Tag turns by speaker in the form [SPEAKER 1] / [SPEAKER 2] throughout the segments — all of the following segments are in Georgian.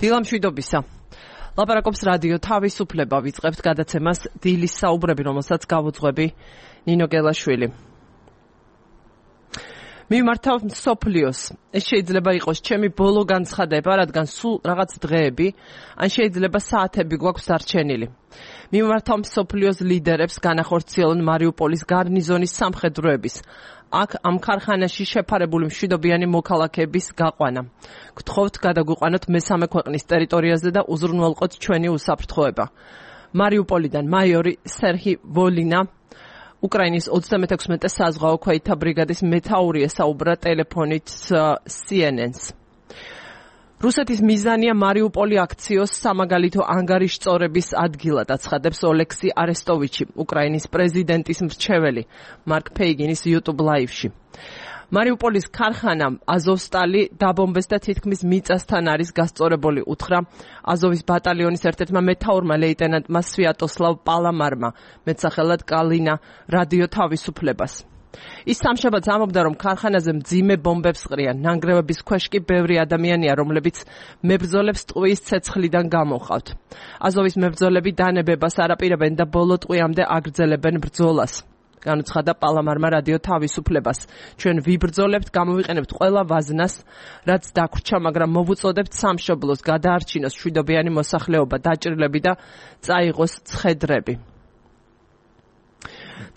[SPEAKER 1] დილამშვიდობისა. ლაპარაკობს რადიო თავისუფლება, ვიწყებთ გადაცემას დილის საუბრები, რომელსაც გავუძღვები ნინო გელაშვილი. მიმართავ მსოფლიოს. ეს შეიძლება იყოს ჩემი ბოლო განცხადება, რადგან სულ რაღაც დღეები, ან შეიძლება საათები გვაქვს დარჩენილი. მიმართავ მსოფლიოს ლიდერებს განახორციელონ მარიუპოლის გარნიზონის სამხედროების. აქ ამ ქარხანაში შეფარებული მშვიდობიანი მოქალაქეების გაყვანა. გთხოვთ გადაგვიყვანოთ მესამე ქვეყნის ტერიტორიაზე და უზრუნველყოთ ჩვენი უსაფრთხოება. მარიუპოლიდან მაიორი სერჰი ვოლინა, უკრაინის 36-მე საზღვაო ქვეითთა ბრიგადის მეთაური ესაუბრა ტელეფონით CNN-ს. რუსეთის მიზანია მარიუპოლი აქციოს სამაგალითო ანგარიშწორების ადგილად, აცხადებს ოლექსი არესტოვიჩი, უკრაინის პრეზიდენტის მრჩეველი, მარკ ფეიგინის YouTube ლაივში. მარიუპოლის ქარხანა აზოვსტალი დაბომბეს და თითქმის მიწასთან არის გასწორებული, უთხრა აზოვის ბატალიონის ერთ-ერთმა მეთაურმა ლეიტენანტმა სვიატოსლავ პალამარმა, მეტსახელად კალინა რადიო თავისუფლებას. ის სამშაბათს ამბობდა, რომ ქარხანაზე მძიმე ბომბებს ყრიან. ნანგრევების ქვეშ კი ბევრი ადამიანია, რომლებიც მებრძოლებს ტყუის ცეცხლიდან გამოჰყავთ. აზოვის მებრძოლები დანებებას არაპირებენ და ბოლო ტყვიამდე აგრძელებენ ბრძოლას. განუცხადა პალამარმა რადიო თავისუფლებას. ჩვენ ვიბრძოლებთ, გამოვიყენებთ ყველა ვაზნას, რაც დაგვრჩა, მაგრამ მოვუწოდებთ სამშობლოს, გადაარჩინოს მშვიდობიანი მოსახლეობა, დაჭრილები და წაიღოს ცხედრები.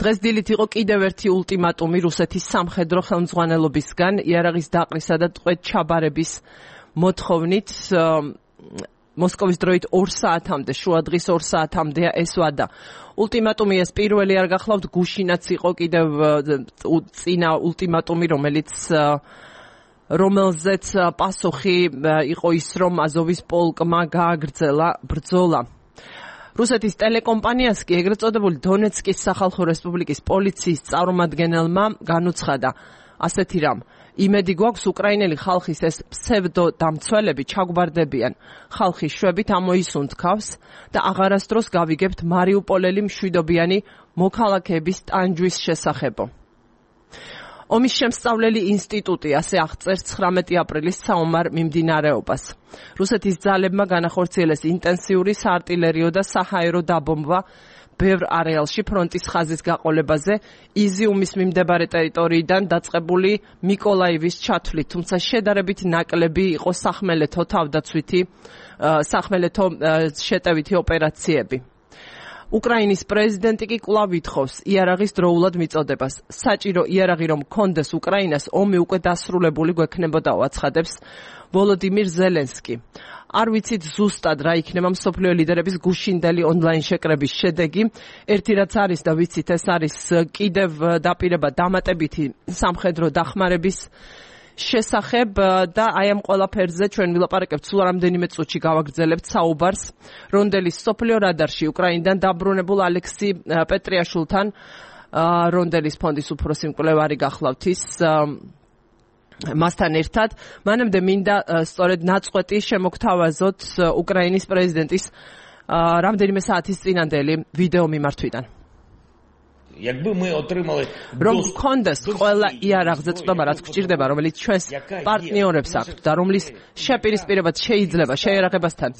[SPEAKER 1] დღეს დილით იყო კიდევ ერთი ულტიმატუმი რუსეთის სამხედრო ხელმძღვანელობისგან იარაღის დაყრისა და ტყვედ ჩაბარების მოთხოვნით. მოსკოვის დროით 2 საათამდე, შუადღის 2 საათამდეა ეს ვადა. ულტიმატუმი ეს პირველი არ გახლავთ, გუშინაც იყო კიდევ წინა ულტიმატუმი, რომელზეც პასუხი იყო ის, რომ აზოვის პოლკმა გააგრძელა ბრძოლა. რუსეთის ტელეკომპანიას კი ეგრეთ წოდებული დონეცკის სახალხო რესპუბლიკის პოლიციის წარმომადგენელმა განუცხადა ასეთი რამ: იმედი გვაქვს, უკრაინელი ხალხის ეს ფსევდო დამცველები ჩაგვბარდებიან. ხალხი შვებით ამოისუნთქავს და აღარასდროს გავიგებთ მარიუპოლელი მშვიდობიანი მოქალაქეების ტანჯვის შესახებო. ომის შემსწავლელი ინსტიტუტი ასე აღწერს 19 აპრილის საომარ მიმდინარეობას. რუსეთის ძალებმა განახორციელეს ინტენსიური საარტილერიო და საჰაერო დაბომბვა ბევრ არეალში ფრონტის ხაზის გაყოლებაზე, იზიუმის მიმდებარე ტერიტორიიდან დაწყებული მიკოლაივის ჩათვლით, თუმცა შედარებით ნაკლები იყო სახმელეთო შეტევითი ოპერაციები. უკრაინის პრეზიდენტი კი კვლავ ითხოვს იარაღის დროულად მიწოდებას. საჭირო იარაღი რომ კონდეს უკრაინას, ომი უკვე დასრულებული გვექნებოდაო, აცხადებს ვოლოდიმირ ზელენსკი. არ ვიცით ზუსტად რა იქნება მსოფლიო ლიდერების გუშინდელი ონლაინ შეკრების შედეგი. ერთი რაც არის და ვიცით, ეს არის კიდევ დაპირება დამატებითი სამხედრო დახმარების შესახებ და აი ამ ყველაფერზე ჩვენ ვილაპარაკებთ სულ რამდენიმე წუთში გავაგრძელებთ საუბარს რონდელის სოფლიო რადარში უკრაინიდან დაბრუნებულ ალექსი პეტრიაშვილთან, რონდელის ფონდის უფროსი მკვლევარი გახლავთ ის მასთან ერთად. მანამდე მინდა სწორედ ნაწყვეტი შემოგთავაზოთ უკრაინის პრეზიდენტის რამდენიმე საათის წინანდელი ვიდეო მიმართვიდან. რომ გქონდეს ყველა იარაღზე წვდომა, რაც გვჭირდება, რომელიც ჩვენს პარტნიორებს აქვთ და რომლის შეპირისპირებაც შეიძლება შეიარაღებასთან,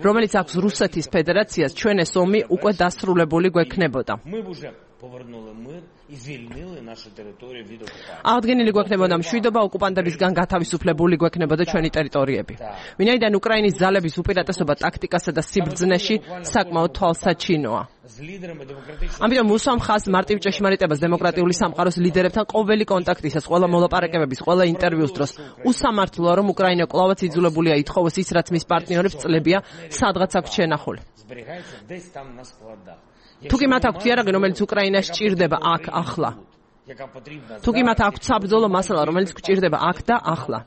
[SPEAKER 1] რომელიც აქვს რუსეთის ფედერაციას, ჩვენ ეს ომი უკვე დასრულებული გვექნებოდა. აღდგენილი გვექნებოდა მშვიდობა, ოკუპანტებისგან გათავისუფლებული გვექნებოდა ჩვენი ტერიტორიები. ვინაიდან უკრაინის ძალების უპირატესობა ტაქტიკასა და სიბრძნეში საკმაოდ თვალსაჩინოა. ამიტომ უსვამ ხაზს მარტივ ჭეშმარიტებას დემოკრატიული სამყაროს ლიდერებთან ყოველი კონტაქტისას, ყველა მოლაპარაკებების, ყველა ინტერვიუს დროს. უსამართლოა, რომ უკრაინა კვლავაც იძულებულია ითხოვოს ის, რაც მის პარტნიორებს წლებია, სადღაც აქვს შენახული. თუ კი მათ აქვთ იარაღი, რომელიც უკრაინას სჭირდება აქ ახლა. თუ კი მათ აქვთ საბრძოლო მასალა, რომელიც გვჭირდება აქ და ახლა.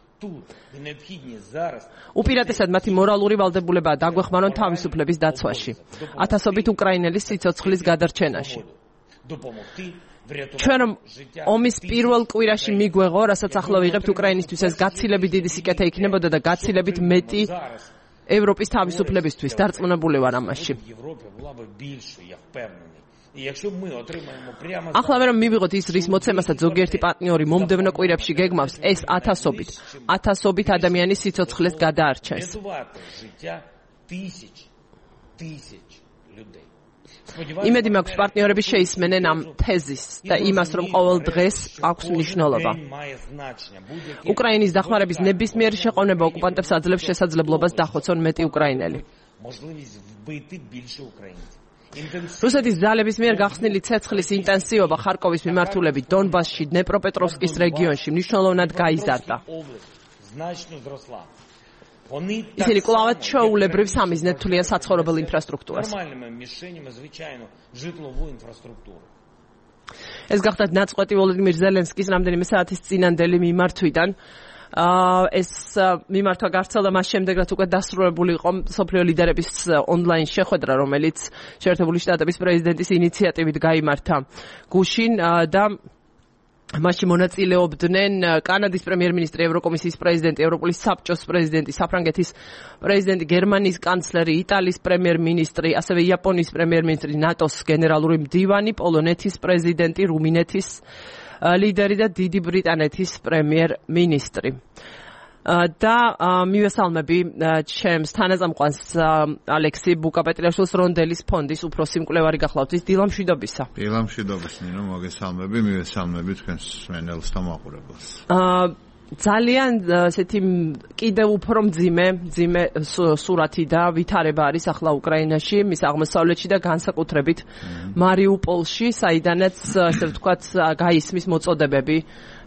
[SPEAKER 1] უპირატესად მათი მორალური ვალდებულებაა დაგვეხმარონ თავისუფლების დაცვაში, ათასობით უკრაინელის სიცოცხლის გადარჩენაში. ჩვენ რომ ომის პირველ კვირაში მიგვეღო, რასაც ახლა ვიღებთ უკრაინისთვის, ეს გაცილებით დიდი სიკეთე იქნებოდა და გაცილებით მეტი ევროპის თავისუფლებისთვის. დარწმუნებული ვარ ამაში. ახლა რომ მივიღოთ ის რის მოცემასაც ზოგიერთი პარტნიორი მომდევნო კვირებში გეგმავს, ეს ათასობით ადამიანის სიცოცხლეს გადაარჩენს. იმედი მაქვს პარტნიორები შეისმენენ ამ თეზისს და იმას, რომ ყოველ დღეს აქვს მნიშვნელობა. უკრაინის დახმარების ნებისმიერი შეყოვნება ოკუპანტებს აძლევს შესაძლებლობას დახოცონ მეტი უკრაინელი. რუსეთის ძალების მიერ გახსნილი ცეცხლის ინტენსივობა ხარკოვის მიმართულებით დონბასში, დნეპროპეტროვსკის რეგიონში მნიშვნელოვნად გაიზარდა. ისინი კვლავაც ჩვეულებრივ სამიზნედ თვლიან საცხოვრებელ ინფრასტრუქტურას. ეს გახდათ ნაწყვეტი ვოლოდიმირ ზელენსკის რამდენიმე საათის წინანდელი მიმართვიდან. ეს მიმართვა გავრცელდა მას შემდეგ, რაც უკვე დასრულებული იყო მსოფლიო ლიდერების ონლაინ შეხვედრა, რომელიც შეერთებული შტატების პრეზიდენტის ინიციატივით გაიმართა გუშინ და მასში მონაწილეობდნენ კანადის პრემიერ-მინისტრი, ევროკომისიის პრეზიდენტი, ევროპული საბჭოს პრეზიდენტი, საფრანგეთის პრეზიდენტი, გერმანიის კანცლერი, იტალიის პრემიერ-მინისტრი, ასევე იაპონიის პრემიერ-მინისტრი, ნატოს გენერალური მდივანი, პოლონეთის პრეზიდენტი, რუმინეთის ლიდერი და დიდი ბრიტანეთის პრემიერ-მინისტრი. და მივესალმები ჩემს თანაზამყვანს ალექსი ბუკაპეტრიაშვილს რონდელის ფონდის უფროსი მკვლევარი გახლავთ. დილა მშვიდობისა.
[SPEAKER 2] დილა მშვიდობის, ნინო, მოგესალმები, მივესალმები თქვენს მსმენელს და მაყურებელს.
[SPEAKER 1] ძალიან ესეთი კიდევ უფრო მძიმე სურათი და ვითარება არის ახლა უკრაინაში, მის აღმოსავლეთში და განსაკუთრებით მარიუპოლში, საიდანაც ასე ვთქვათ გაისმის მოწოდებები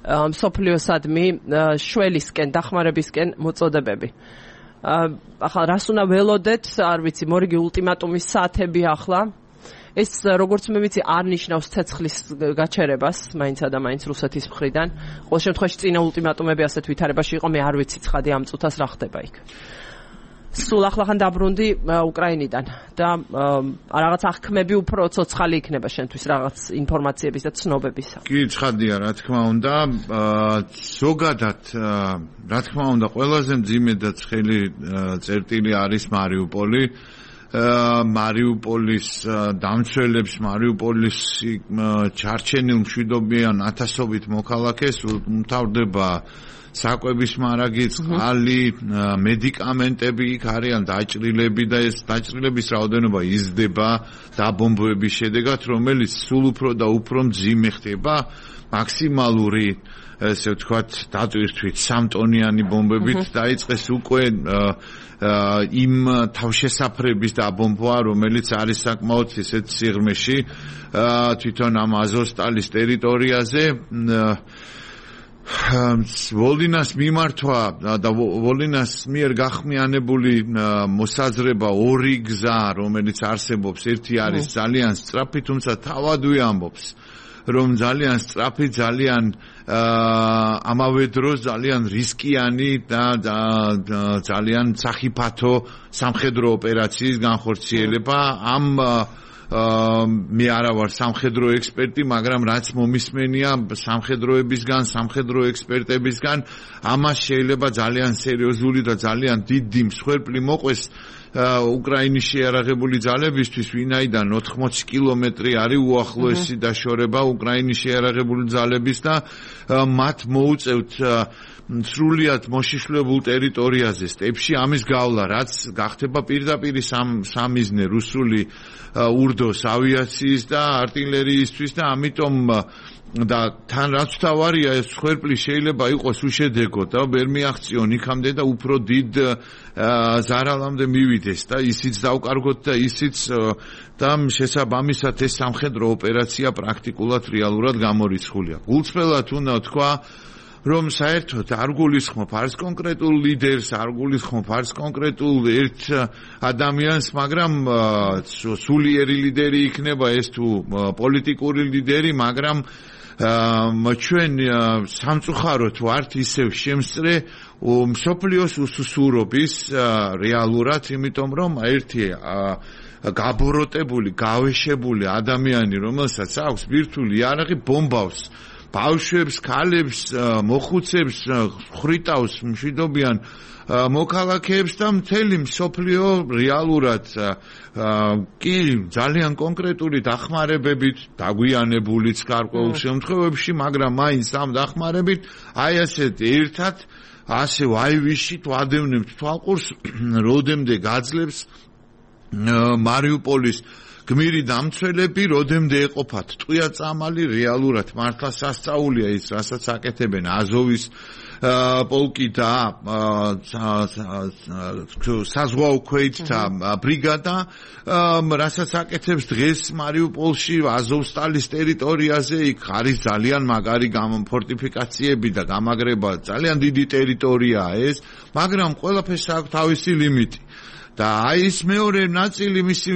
[SPEAKER 1] მსოფლიოსადმი შველისკენ, დახმარებისკენ მოწოდებები. ახლა რას უნდა ველოდეთ, არ ვიცი, მორიგი ულტიმატუმის საათები ახლა. ეს როგორც მე ვიცი არ ნიშნავს ცეცხლის გაჩერებას მაინცა და მაინც რუსეთის მხრიდან. ყოველ შემთხვევაში წინა ულტიმატუმები ასეთ ვითარებაში იყო, მე არ ვიცი ცხადი ამ წუთას რა ხდება იქ. სულ ახლახან დაბრუნდი უკრაინიდან და რაღაც აღქმები უფრო ცოცხალი იქნება შენთვის რაღაც ინფორმაციების და ცნობებისა.
[SPEAKER 2] კი, ცხადია, რა თქმა უნდა, ზოგადად რა თქმა უნდა ყველაზე მძიმე და ცხელი წერტილი არის მარიუპოლი. მარიუპოლის დამცველებს, მარიუპოლის ჩარჩენილ მშვიდობიან ათასობით მოქალაქეს უმთავრდება საკვების მარაგი, წყალი, მედიკამენტები იქ არიან დაჭრილები და ეს დაჭრილების რაოდენობა იზრდება დაბომბვების შედეგად, რომელიც სულ უფრო და უფრო მძიმე ხდება, მაქსიმალური ესე ვთქვათ დატვირთვით 3 ტონიანი ბომბებით დაიწყეს უკვე იმ თავშესაფრების დაბომბვა, რომელიც არის საკმაოდ ისეთ სიღრმეში თვითონ ამ აზოვსტალის ტერიტორიაზე. ვოლინას მიმართვა და ვოლინას მიერ გახმიანებული მოსაზრება ორი გზა, რომელიც არსებობს, ერთი არის ძალიან სწრაფი, თუმცა თავად ვიამბობს, რომ ძალიან სწრაფი, ძალიან ამავე დროს ძალიან რისკიანი და ძალიან სახიფათო სამხედრო ოპერაციის განხორციელება. ამ მე არა ვარ სამხედრო ექსპერტი, მაგრამ რაც მომისმენია სამხედროებისგან, სამხედრო ექსპერტებისგან, ამას შეიძლება ძალიან სერიოზული და ძალიან დიდი მსხვერპლი მოყვეს უკრაინის შეიარაღებული ძალებისთვის, ვინაიდან 80 კილომეტრი არის უახლოესი დაშორება უკრაინის შეიარაღებული ძალების და მათ მოუწევთ სრულიად მოშიშლებულ ტერიტორიაზე სტეპში ამის გავლა, რაც გახდება პირდაპირ სამიზნე რუსული ურდოს ავიაციის და артиლერიისთვის და ამიტომ და თან რაც თავარია ეს მსხვერპლი შეიძლება იყოს უშედეგო და ვერ მიაღწიონ იქამდე და უფრო დიდ ზარალამდე მივიდეს და ისიც დავკარგოთ და ისიც და შესაბამისად ეს სამხედრო ოპერაცია პრაქტიკულად რეალურად გამორიცხულია. გულწრფელად უნდა თქვა, რომ საერთოდ არ გულისხმობ არც კონკრეტულ ლიდერს, არ გულისხმობ არც კონკრეტულ ერთ ადამიანს, მაგრამ სულიერი ლიდერი იქნება ეს თუ პოლიტიკური ლიდერი, მაგრამ ჩვენ სამწუხაროდ ვართ ისევ შემსწრე მსოფლიოს უსუსურობის რეალურად, იმიტომ რომ ერთი გაბოროტებული, გავეშებული ადამიანი, რომელსაც აქვს ბირთვული იარაღი, ბომბავს ბავშვებს, ქალებს, მოხუცებს ხრიტავს მშვიდობიან მოქალაქეებს და მთელი მსოფლიო რეალურად კი ძალიან კონკრეტული დახმარებებით დაგვიანებულიც გარკვეულ შემთხვევებში, მაგრამ მაინც ამ დახმარებით აი ასეთ ერთად ასე ვაივიშით ვადევნებთ თვალყურს, როდემდე გაძლებს მარიუპოლის გმირი დამცველები, როდემდე ეყოფათ ტყვია წამალი, რეალურად მართლა სასწაულია ის, რასაც აკეთებენ აზოვის პოლკი და საზღვაო ქვეითთა ბრიგადა, რასაც აკეთებს დღეს მარიუპოლში აზოვსტალის ტერიტორიაზე, იქ არის ძალიან მაგარი ფორტიფიკაციები და გამაგრება, ძალიან დიდი ტერიტორიაა ეს, მაგრამ ყველაფერს აქვს თავისი ლიმიტი. და აი ეს მეორე ნაწილი მისი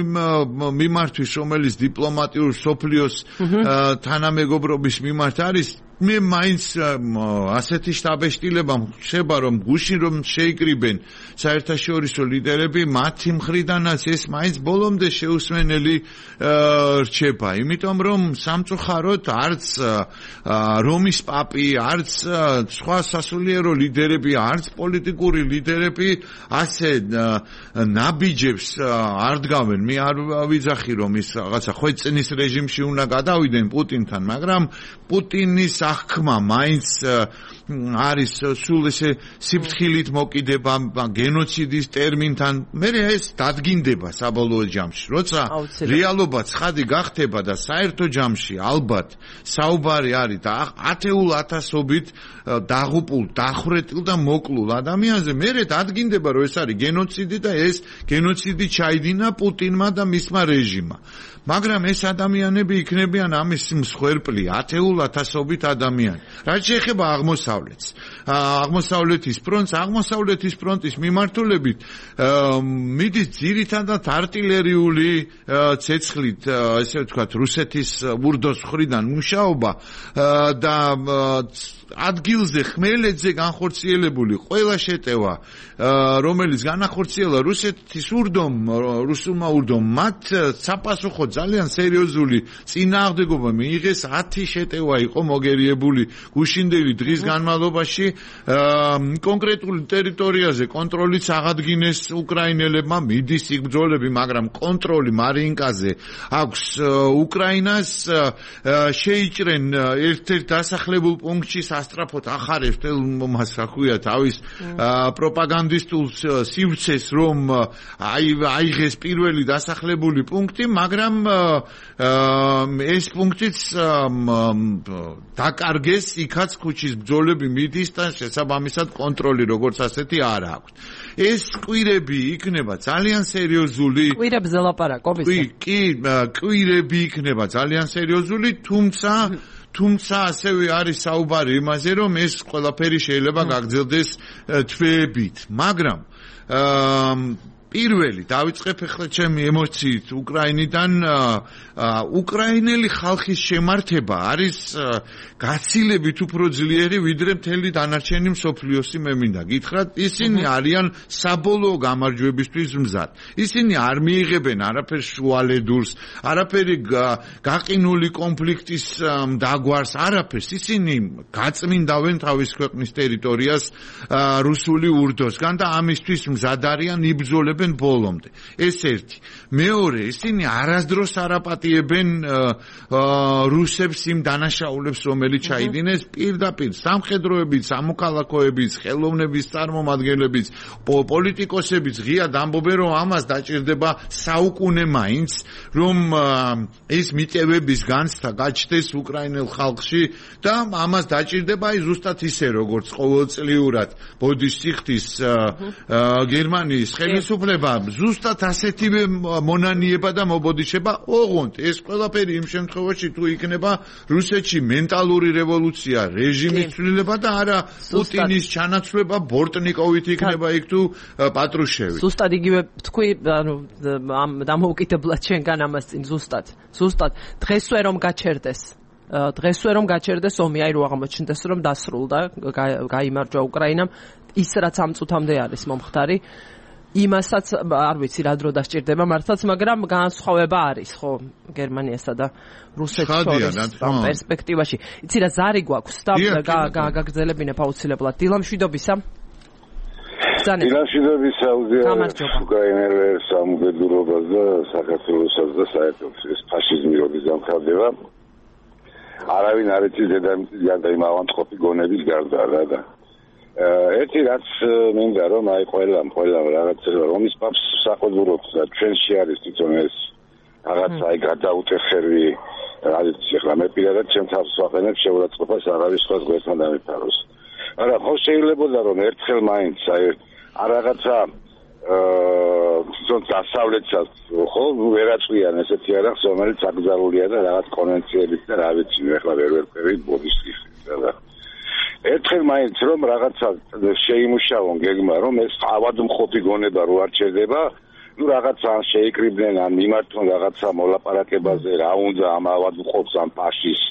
[SPEAKER 2] მიმართვის, რომელიც დიპლომატიურ სოფლიოს თანამეგობრობის მიმართ არის, მე მაინც ასეთი შტაბეშტილება ხდება, რომ გუშინ რომ შეიკრიბენ საერთაშორისო ლიდერები, მათი მხრიდანაც ეს მაინც ბოლომდე შეუსმენელი რჩება, იმიტომ რომ სამწუხაროდ არც რომის პაპი, არც სხვა სასულიერო ლიდერები, არც პოლიტიკური ლიდერები ასე ნაბიჯებს არ დგავენ. მე არ ვიძახი რომ ის რაღაცა ხვეწნის რეჟიმში უნდა გადავიდნენ პუტინთან, მაგრამ პუტინის ახქმა მაინც არის სულ ესე სიფრთხილით მოკიდება გენოციდის ტერმინთან. მე ეს დადგინდება საბოლოო ჯამში, როცა რეალობა ცხადი გახდება და საერთო ჯამში ალბათ საუბარი არის და ათეულ ათასობით დაღუპულ, დახვრეტილ და მოკლულ ადამიანზე, მე დადგინდება რომ ეს არის გენოციდი და ეს გენოციდი ჩაიდინა პუტინმა და მისმა რეჟიმმა. მაგრამ ეს ადამიანები იქნებიან ამის მსხვერპლი, ათეულ ათასობით ადამიანი. რაც შეეხება აღმოსავლეთს, აღმოსავლეთის ფრონტის მიმართულებით მიდის ძირითადად არტილერიული ცეცხლით, ესე ვთქვათ, რუსეთის ურდოს მხრიდან მუშაობა და ადგილზე ხმელეთზე განხორციელებული ყველა შეტევა, რომელიც განახორციელა რუსეთის რუსულმა ურდომ, მათ საპასუხო ძალიან სერიოზული წინააღმდეგობა მიიღეს. 10 შეტევა იყო მოგერიებული გუშინდელი დღის განმავლობაში. კონკრეტულ ტერიტორიაზე კონტროლიც აღადგინეს უკრაინელებმა, მიდის იქ ბრძოლები, მაგრამ კონტროლი მარინკაზე აქვს უკრაინას. შეიჭრენ ერთ-ერთ დასახლებულ პუნქტში სასტრაფოდ ახარებს თელმომას აქვია თავის პროპაგანდისტულ სივრცეს, რომ აიღეს პირველი დასახლებული პუნქტი, მაგრამ ეს პუნქტიც დაკარგეს, იქაც ქუჩის ბრძოლები მიდის და შესაბამისად კონტროლი როგორც ასეთი არ აქვს. ეს კვირები იქნება ძალიან სერიოზული.
[SPEAKER 1] კვირებზე ლაპარაკობ ისე?
[SPEAKER 2] კი, კვირები იქნება ძალიან სერიოზული, თუმცა ასევე არის საუბარი იმაზე, რომ ეს ყველაფერი შეიძლება გაგრძელდეს თვეებით, მაგრამ პირველი დავიწყებ ახლა ჩემი ემოციით უკრაინიდან. უკრაინელი ხალხის შემართება არის გაცილებით უფრო ძლიერი ვიდრე მთელი დანარჩენი მსოფლიოსი. მე მინდა გითხრათ, ისინი არიან საბოლოო გამარჯვებისთვის მზად. ისინი არ მიიღებენ არაფერს შუალედურს, არაფერი გაყინული კონფლიქტის დაგვარს, არაფერს. ისინი გაწმინდავენ თავის ქვეყნის ტერიტორიას რუსული ურდოსგან და ამისთვის მზად არიან, იბრძოლებენ ბოლომდე. ეს ერთი. მეორე, ისინი არასდროს არ აპატიებენ რუსებს იმ დანაშაულებს, რომელიც ჩაიდინეს პირდაპირ სამხედროებით, სამოქალაქოებით, ხელოვნების წარმომადგენლებით, პოლიტიკოსებით ღიად ამბობენ, რომ ამას დაჭირდება საუკუნე მაინც, რომ ეს მიტევების განცდა გაჩნდეს უკრაინელ ხალხში და ამას დაჭირდება ზუსტად ისე, როგორც ყოველწლიურად ბოდის სიხდის გერმანიის ხელისუფლება, ზუსტად ასეთივე მონანიება და მობოდიშება. ოღონდ ეს ყველაფერი იმ შემთხვევაში თუ იქნება რუსეთში მენტალური რევოლუცია, რეჟიმის ცვლილება და არა პუტინის ჩანაცვლება ბორტნიკოვით იქნება იქ თუ პატრუშევი.
[SPEAKER 1] ზუსტად იგივე თქვი, ანუ დამოუკიდებლად შენგან ამას წინ ზუსტად დღესვე რომ გაჩერდეს ომი, აი რო აღმოჩნდეს რომ დასრულდა, გაიმარჯვა უკრაინამ, ის რაც ამ წუთამდე არის მომხდარი. იმასაც არ ვიცი რა დრო დასჭირდება მართლაც, მაგრამ განსხვავება არის ხო გერმანიასა და რუსეთს შორის პერსპექტივაში. იცი რა ზარი გვაქვს და გაგრძელებინებ აუცილებლად. დილა მშვიდობისა.
[SPEAKER 3] დილამშვიდობისა უზიარებს უკრაინელებს სამგედურობას და საქართველოსაც და საერთოდ ეს ფაშიზმი როდის დამთავრდება. არავინ არ იცის დედამიწის იმ ავანტყოფი გონების გარდა რა და ერთი რაც მინდა რომ აი ყველა რაღაცა რომის პაპს საყოველთაოდ და ჩვენში არის თვითონ ეს რაღაცა აი გადაუტეხები რაც ახლა მე პირადად ჩემ თავს ვაყენებ შეურაცხყოფას აღარის სხვა გვერდთან დამიფაროს. არა ხო შეიძლება რომ ერთხელ მაინც აი რაღაცა თვითონ დასავლეთსაც ხო ვერაწვიან ესეთი არახს რომელიც აკრძალულია და რაღაც კონვენციებით და რა ვიცი ახლა ვერ ვერკვევით ბოდის ხიხრით და ერთხელ მაინც რომ რაღაცა შეიმუშავონ გეგმა რომ ეს ავადმყოფი გონება რო არ ჩერდება ნუ რაღაცა შეიკრიბნენ ან მიმართონ რაღაცა მოლაპარაკებაზე რა უნდა ამ ავადმყოფს ამ ფაშის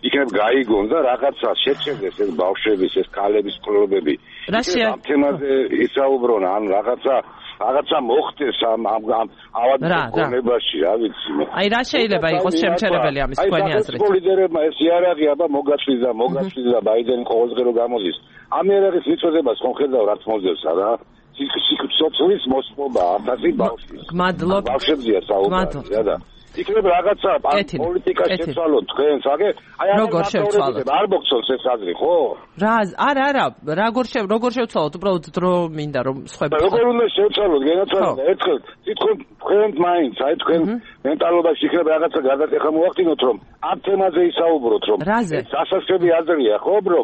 [SPEAKER 3] იქნებ გაიგონ და რაღაცა შეჩერდეს ეს ბავშვების ეს ქალების კლუბები ამ თემაზე ისაუბრონ ან რაღაცა მოხდეს ამ ავადმყოფობაში რა ვიცი მე
[SPEAKER 1] აი რა შეიძლება იყოს შემჩერებელი ამის თქვენი აზრით
[SPEAKER 3] ეს ლიდერებმა ეს იარაღი აბა მოგაწვის და ბაიდენი ყოველდღე რო გამოდის ამ იარაღის მიწოდებას ხომ ხედავ რაც მოძებს რა სიცოცხლის მოსპობა 1000 ბავშვის
[SPEAKER 1] გმადლობ
[SPEAKER 3] ბავშვებია საუბარი და იქნებ რაღაცა პოლიტიკა შეცვალოთ თქვენს აი
[SPEAKER 1] როგორ შევცვალოთ
[SPEAKER 3] არ მოგწონს ეს აზრი ხო
[SPEAKER 1] არა როგორ შევცვალოთ უბრალოდ დრო მინდა რომ სხვები
[SPEAKER 3] როგორ უნდა შევცვალოთ გენაცვალოთ ერთხელ თვითონ თქვენ მაინც აი თქვენ მენტალობაში იქნებ რაღაცა გადატეხა მოახდინოთ რომ ამ თემაზე ისაუბროთ რომ სასაცილო აზრია ხო ბრო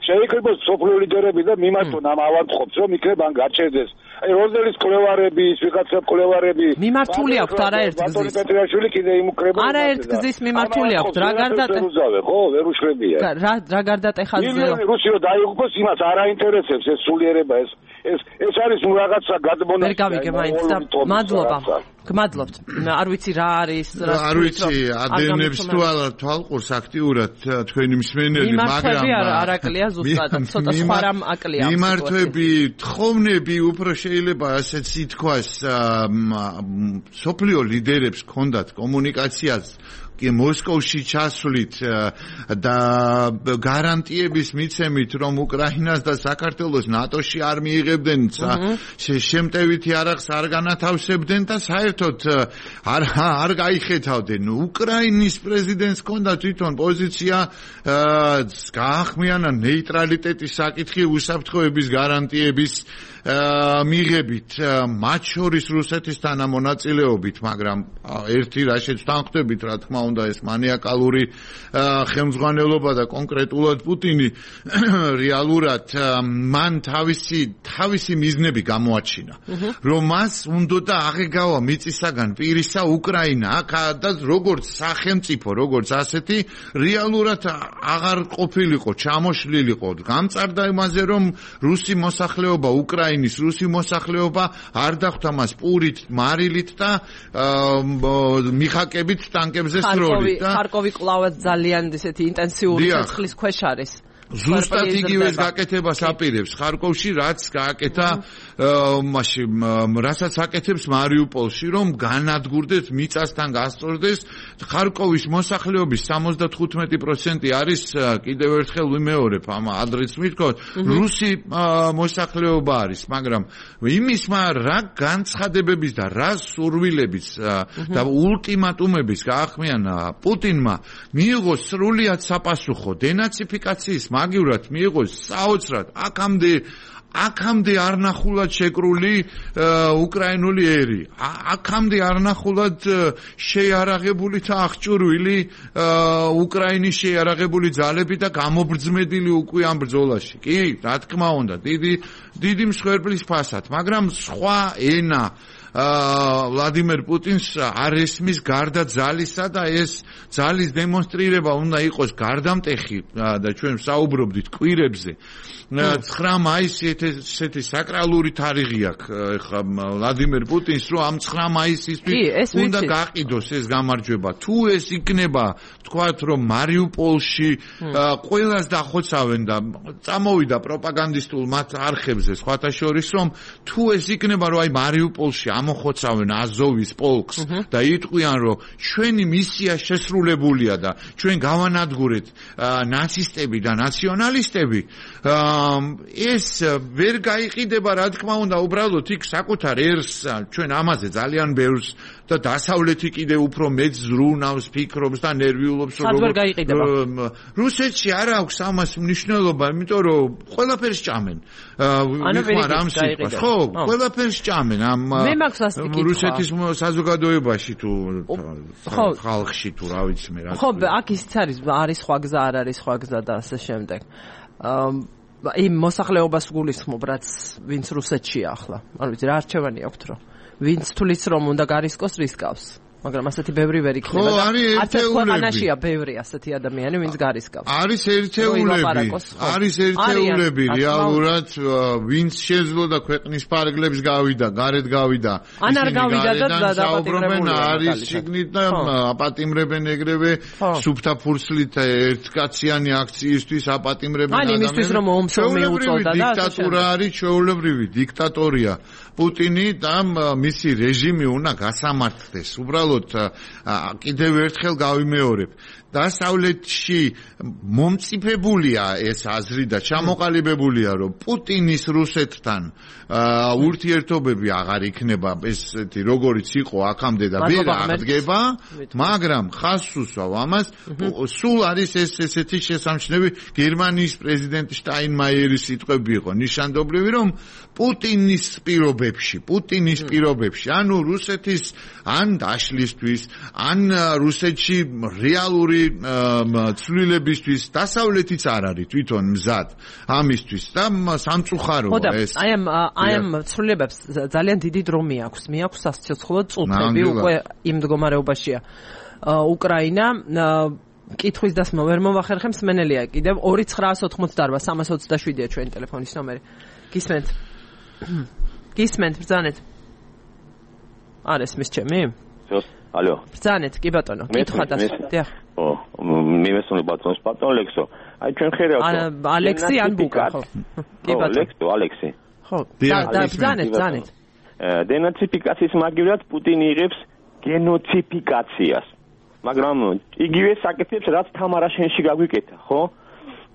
[SPEAKER 3] შეიკრიბოს სოფლიო ლიდერები და მიმართონ ამ ავადმყოფს რომ იქნებ ან გაჩერდეს აი როზელის კლევარები ის ვიღაცა კლევარები
[SPEAKER 1] მიმართული აქვთ არაერთ გზის
[SPEAKER 3] პეტრიაშვილი კიდე იმუქრება
[SPEAKER 1] არაერთ გზის მიმართული აქვთ რა
[SPEAKER 3] გარდატეხა ხო ვერ უშლებია
[SPEAKER 1] რა გარდატეხა
[SPEAKER 3] რუსიო დაიღუპოს იმას არ აინტერესებს ეს სულიერება ეს არის რაღაცა გადმონაშთი
[SPEAKER 1] ვერ გავიგე მაინც და მადლობა გმადლობთ არ ვიცი რა არის
[SPEAKER 2] არ ვიცი ადენებს თუ არა თვალყურს აქტიურად თქვენი მსმენელი მაგრამ
[SPEAKER 1] არაკლია ზუსტად ცოტა სხვა რამ აკლია
[SPEAKER 2] მიმართვები თხოვნები უფრო შეიძლება ასეც ითქვას სოფლიო ლიდერებს ჰქონდათ კომუნიკაციას მოსკოვში ჩასვლით და გარანტიების მიცემით რომ უკრაინას და საქართველოს ნატოში არ მიიღებდნენ შემტევითი არახს არ განათავსებდნენ და საერთოდ არ გაიხეთავდნენ უკრაინის პრეზიდენტს ჰქონდა თვითონ პოზიცია გაახმიანა ნეიტრალიტეტის საკითხი უსაფრთხოების გარანტიების მიღებით მათ შორის რუსეთისთან მონაწილეობით მაგრამ ერთი რაშეც თანხდებით რა თქმა უნდა ეს მანიაკალური ხელმძღვანელობა და კონკრეტულად პუტინი რეალურად მან თავისი მიზნები გამოაჩინა რომ მას უნდა აღეგავა მიწისაგან პირისა უკრაინა და როგორც სახელმწიფო როგორც ასეთი რეალურად აღარ ყოფილიყო ჩამოშლილიყო გამწარდა იმაზე რომ რუსი მოსახლეობა უკრაინის რუსი მოსახლეობა არ დახვდა მას პურით, მარილით და მიხაკებით ტანკებზე სროლით და
[SPEAKER 1] ხარკოვი კლავაც ძალიან ესეთი ინტენსიური ცეცხლის ქვეშ არის.
[SPEAKER 2] ზუსტად იგივეს გაკეთებას აპირებს ხარკოვში რაც გააკეთა მაშინ რასაც აკეთებს მარიუპოლში რომ განადგურდეს მიწასთან გასწორდეს ხარკოვის მოსახლეობის 75% არის კიდევ ერთხელ ვიმეორებ ამ ადრეც მithkot რუსი მოსახლეობა არის მაგრამ იმის რა განცხადებების და რა სურვილების და ultimatumების გაახმიანა პუტინმა მიიღო სრულიად საპასუხო დენაციფიკაციის მაგივრად მიიღოს საოცრად აქამდე არ ნახულად შეკრული უკრაინული ერი აქამდე არ ნახულად შეიარაღებული და აღჭურვილი უკრაინის შეიარაღებული ძალები და გამობრძმედილი უკვე ამ ბრძოლაში კი რა თქმა უნდა დიდი მსხვერპლის ფასად მაგრამ სხვა ენა ვლადიმერ პუტინს არ ესმის გარდა ძალისა და ეს ძალის დემონსტრირება უნდა იყოს გარდამტეხი და ჩვენ საუბრობდით კვირებზე 9 მაისი ესეთი საკრალური თარიღი აქვს ხა ვლადიმერ პუტინს რომ ამ 9 მაისისთვის უნდა გაყიდოს ეს გამარჯვება თუ ეს იქნება თქვათ რომ მარიუპოლში ყველას დახოცავენ და წამოვიდა პროპაგანდისტულ მათ არხებზე სხვათა შორის რომ თუ ეს იქნება რომ აი მარიუპოლში ამოხოცავენ აზოვის პოლკს და იტყვიან რომ ჩვენი მისია შესრულებულია და ჩვენ გავანადგურეთ ნაცისტები და ნაციონალისტები ეს ვერ გაიყიდება რა თქმა უნდა უბრალოდ იქ საკუთარ ერს ჩვენ ამაზე ძალიან ბევრს და დასავლეთი კიდე უფრო მეც ზრუნავს ფიქრობს და ნერვიულობს
[SPEAKER 1] რომ
[SPEAKER 2] რუსეთში არ აქვს ამას მნიშვნელობა იმიტომ რომ ყველაფერს ჭამენ ვიხმარ ამ სიტყვას ხო ყველაფერს ჭამენ ამ რუსეთის საზოგადოებაში თუ ხალხში თუ რა ვიცი მე რა
[SPEAKER 1] ხო აქ ისიც არის სხვა გზა არ არის სხვა გზა და ასე შემდეგ იმ მოსახლეობას გულისხმობ რაც ვინც რუსეთშია ახლა არ ვიცი რა არჩევანი აქვთ რომ ვინც თulis რომ უნდა გარისკოს რისკავს მაგრამ ასეთი ბევრი ვერ იქნება
[SPEAKER 2] და არც
[SPEAKER 1] ქვეყანაშია ბევრი ასეთი ადამიანი ვინც გარისკავს
[SPEAKER 2] არის ერთეულები რეალურად ვინც შეძლო და ქვეყნის ფარგლებს გავიდა გარეთ გავიდა
[SPEAKER 1] ან არ გავიდა და
[SPEAKER 2] დააპატიმრებენ არის შიგნით და აპატიმრებენ ეგრევე სუფთა ფურცლით ერთკაციანი აქციისთვის აპატიმრებენ
[SPEAKER 1] ადამიანებს ან იმისთვის რომ ომსომი უწოდა და
[SPEAKER 2] დიქტატურა არის ჩვეულებრივი დიქტატორია პუტინი და მისი რეჟიმი უნდა გასამართლდეს უბრალოდ კიდევ ერთხელ გავიმეორებ დასავლეთში მომწიფებულია ეს აზრი და ჩამოყალიბებულია რომ პუტინის რუსეთთან ურთიერთობები აღარ იქნება ესეთი როგორიც იყო აქამდე და ვერ აღდგება მაგრამ ხაზს უსვავ ამას სულ არის ესეთი შესამჩნევი გერმანიის პრეზიდენტ შტაინმაიერის სიტყვები იყო ნიშანდობლივი რომ პუტინის პირობებში ანუ რუსეთის ან დაშლისთვის ან რუსეთში რეალური ცვლილებისთვის დასავლეთიც არ არის თვითონ მზად ამისთვის და სამწუხაროა ეს
[SPEAKER 1] აი ამ ცვლილებებს ძალიან დიდი დრო მიაქვს სასიცოცხლო წუთები უკვე იმ მდგომარეობაშია უკრაინა კითხვის დასმა ვერ მომახერხებს მენელია კიდევ 2988 327-ია ჩვენი ტელეფონის ნომერი გისმენთ ბრძანეთ არ ესმის ჩემი
[SPEAKER 4] ალო
[SPEAKER 1] ბრძანეთ კი ბატონო კითხვა დასდია
[SPEAKER 4] მივესწრებო ბატონ ლექსო აი ჩვენ ხერხავთ
[SPEAKER 1] ალექსი ან ბუკა ხო
[SPEAKER 4] კი ბატონო ალექსი
[SPEAKER 1] ხო და ბრძანეთ
[SPEAKER 4] დენაციფიკაციის მაგივრად პუტინი იღებს გენოციფიკაციას მაგრამ იგივე საკითხებს რაც თამარაშენში გაგვიკეთა ხო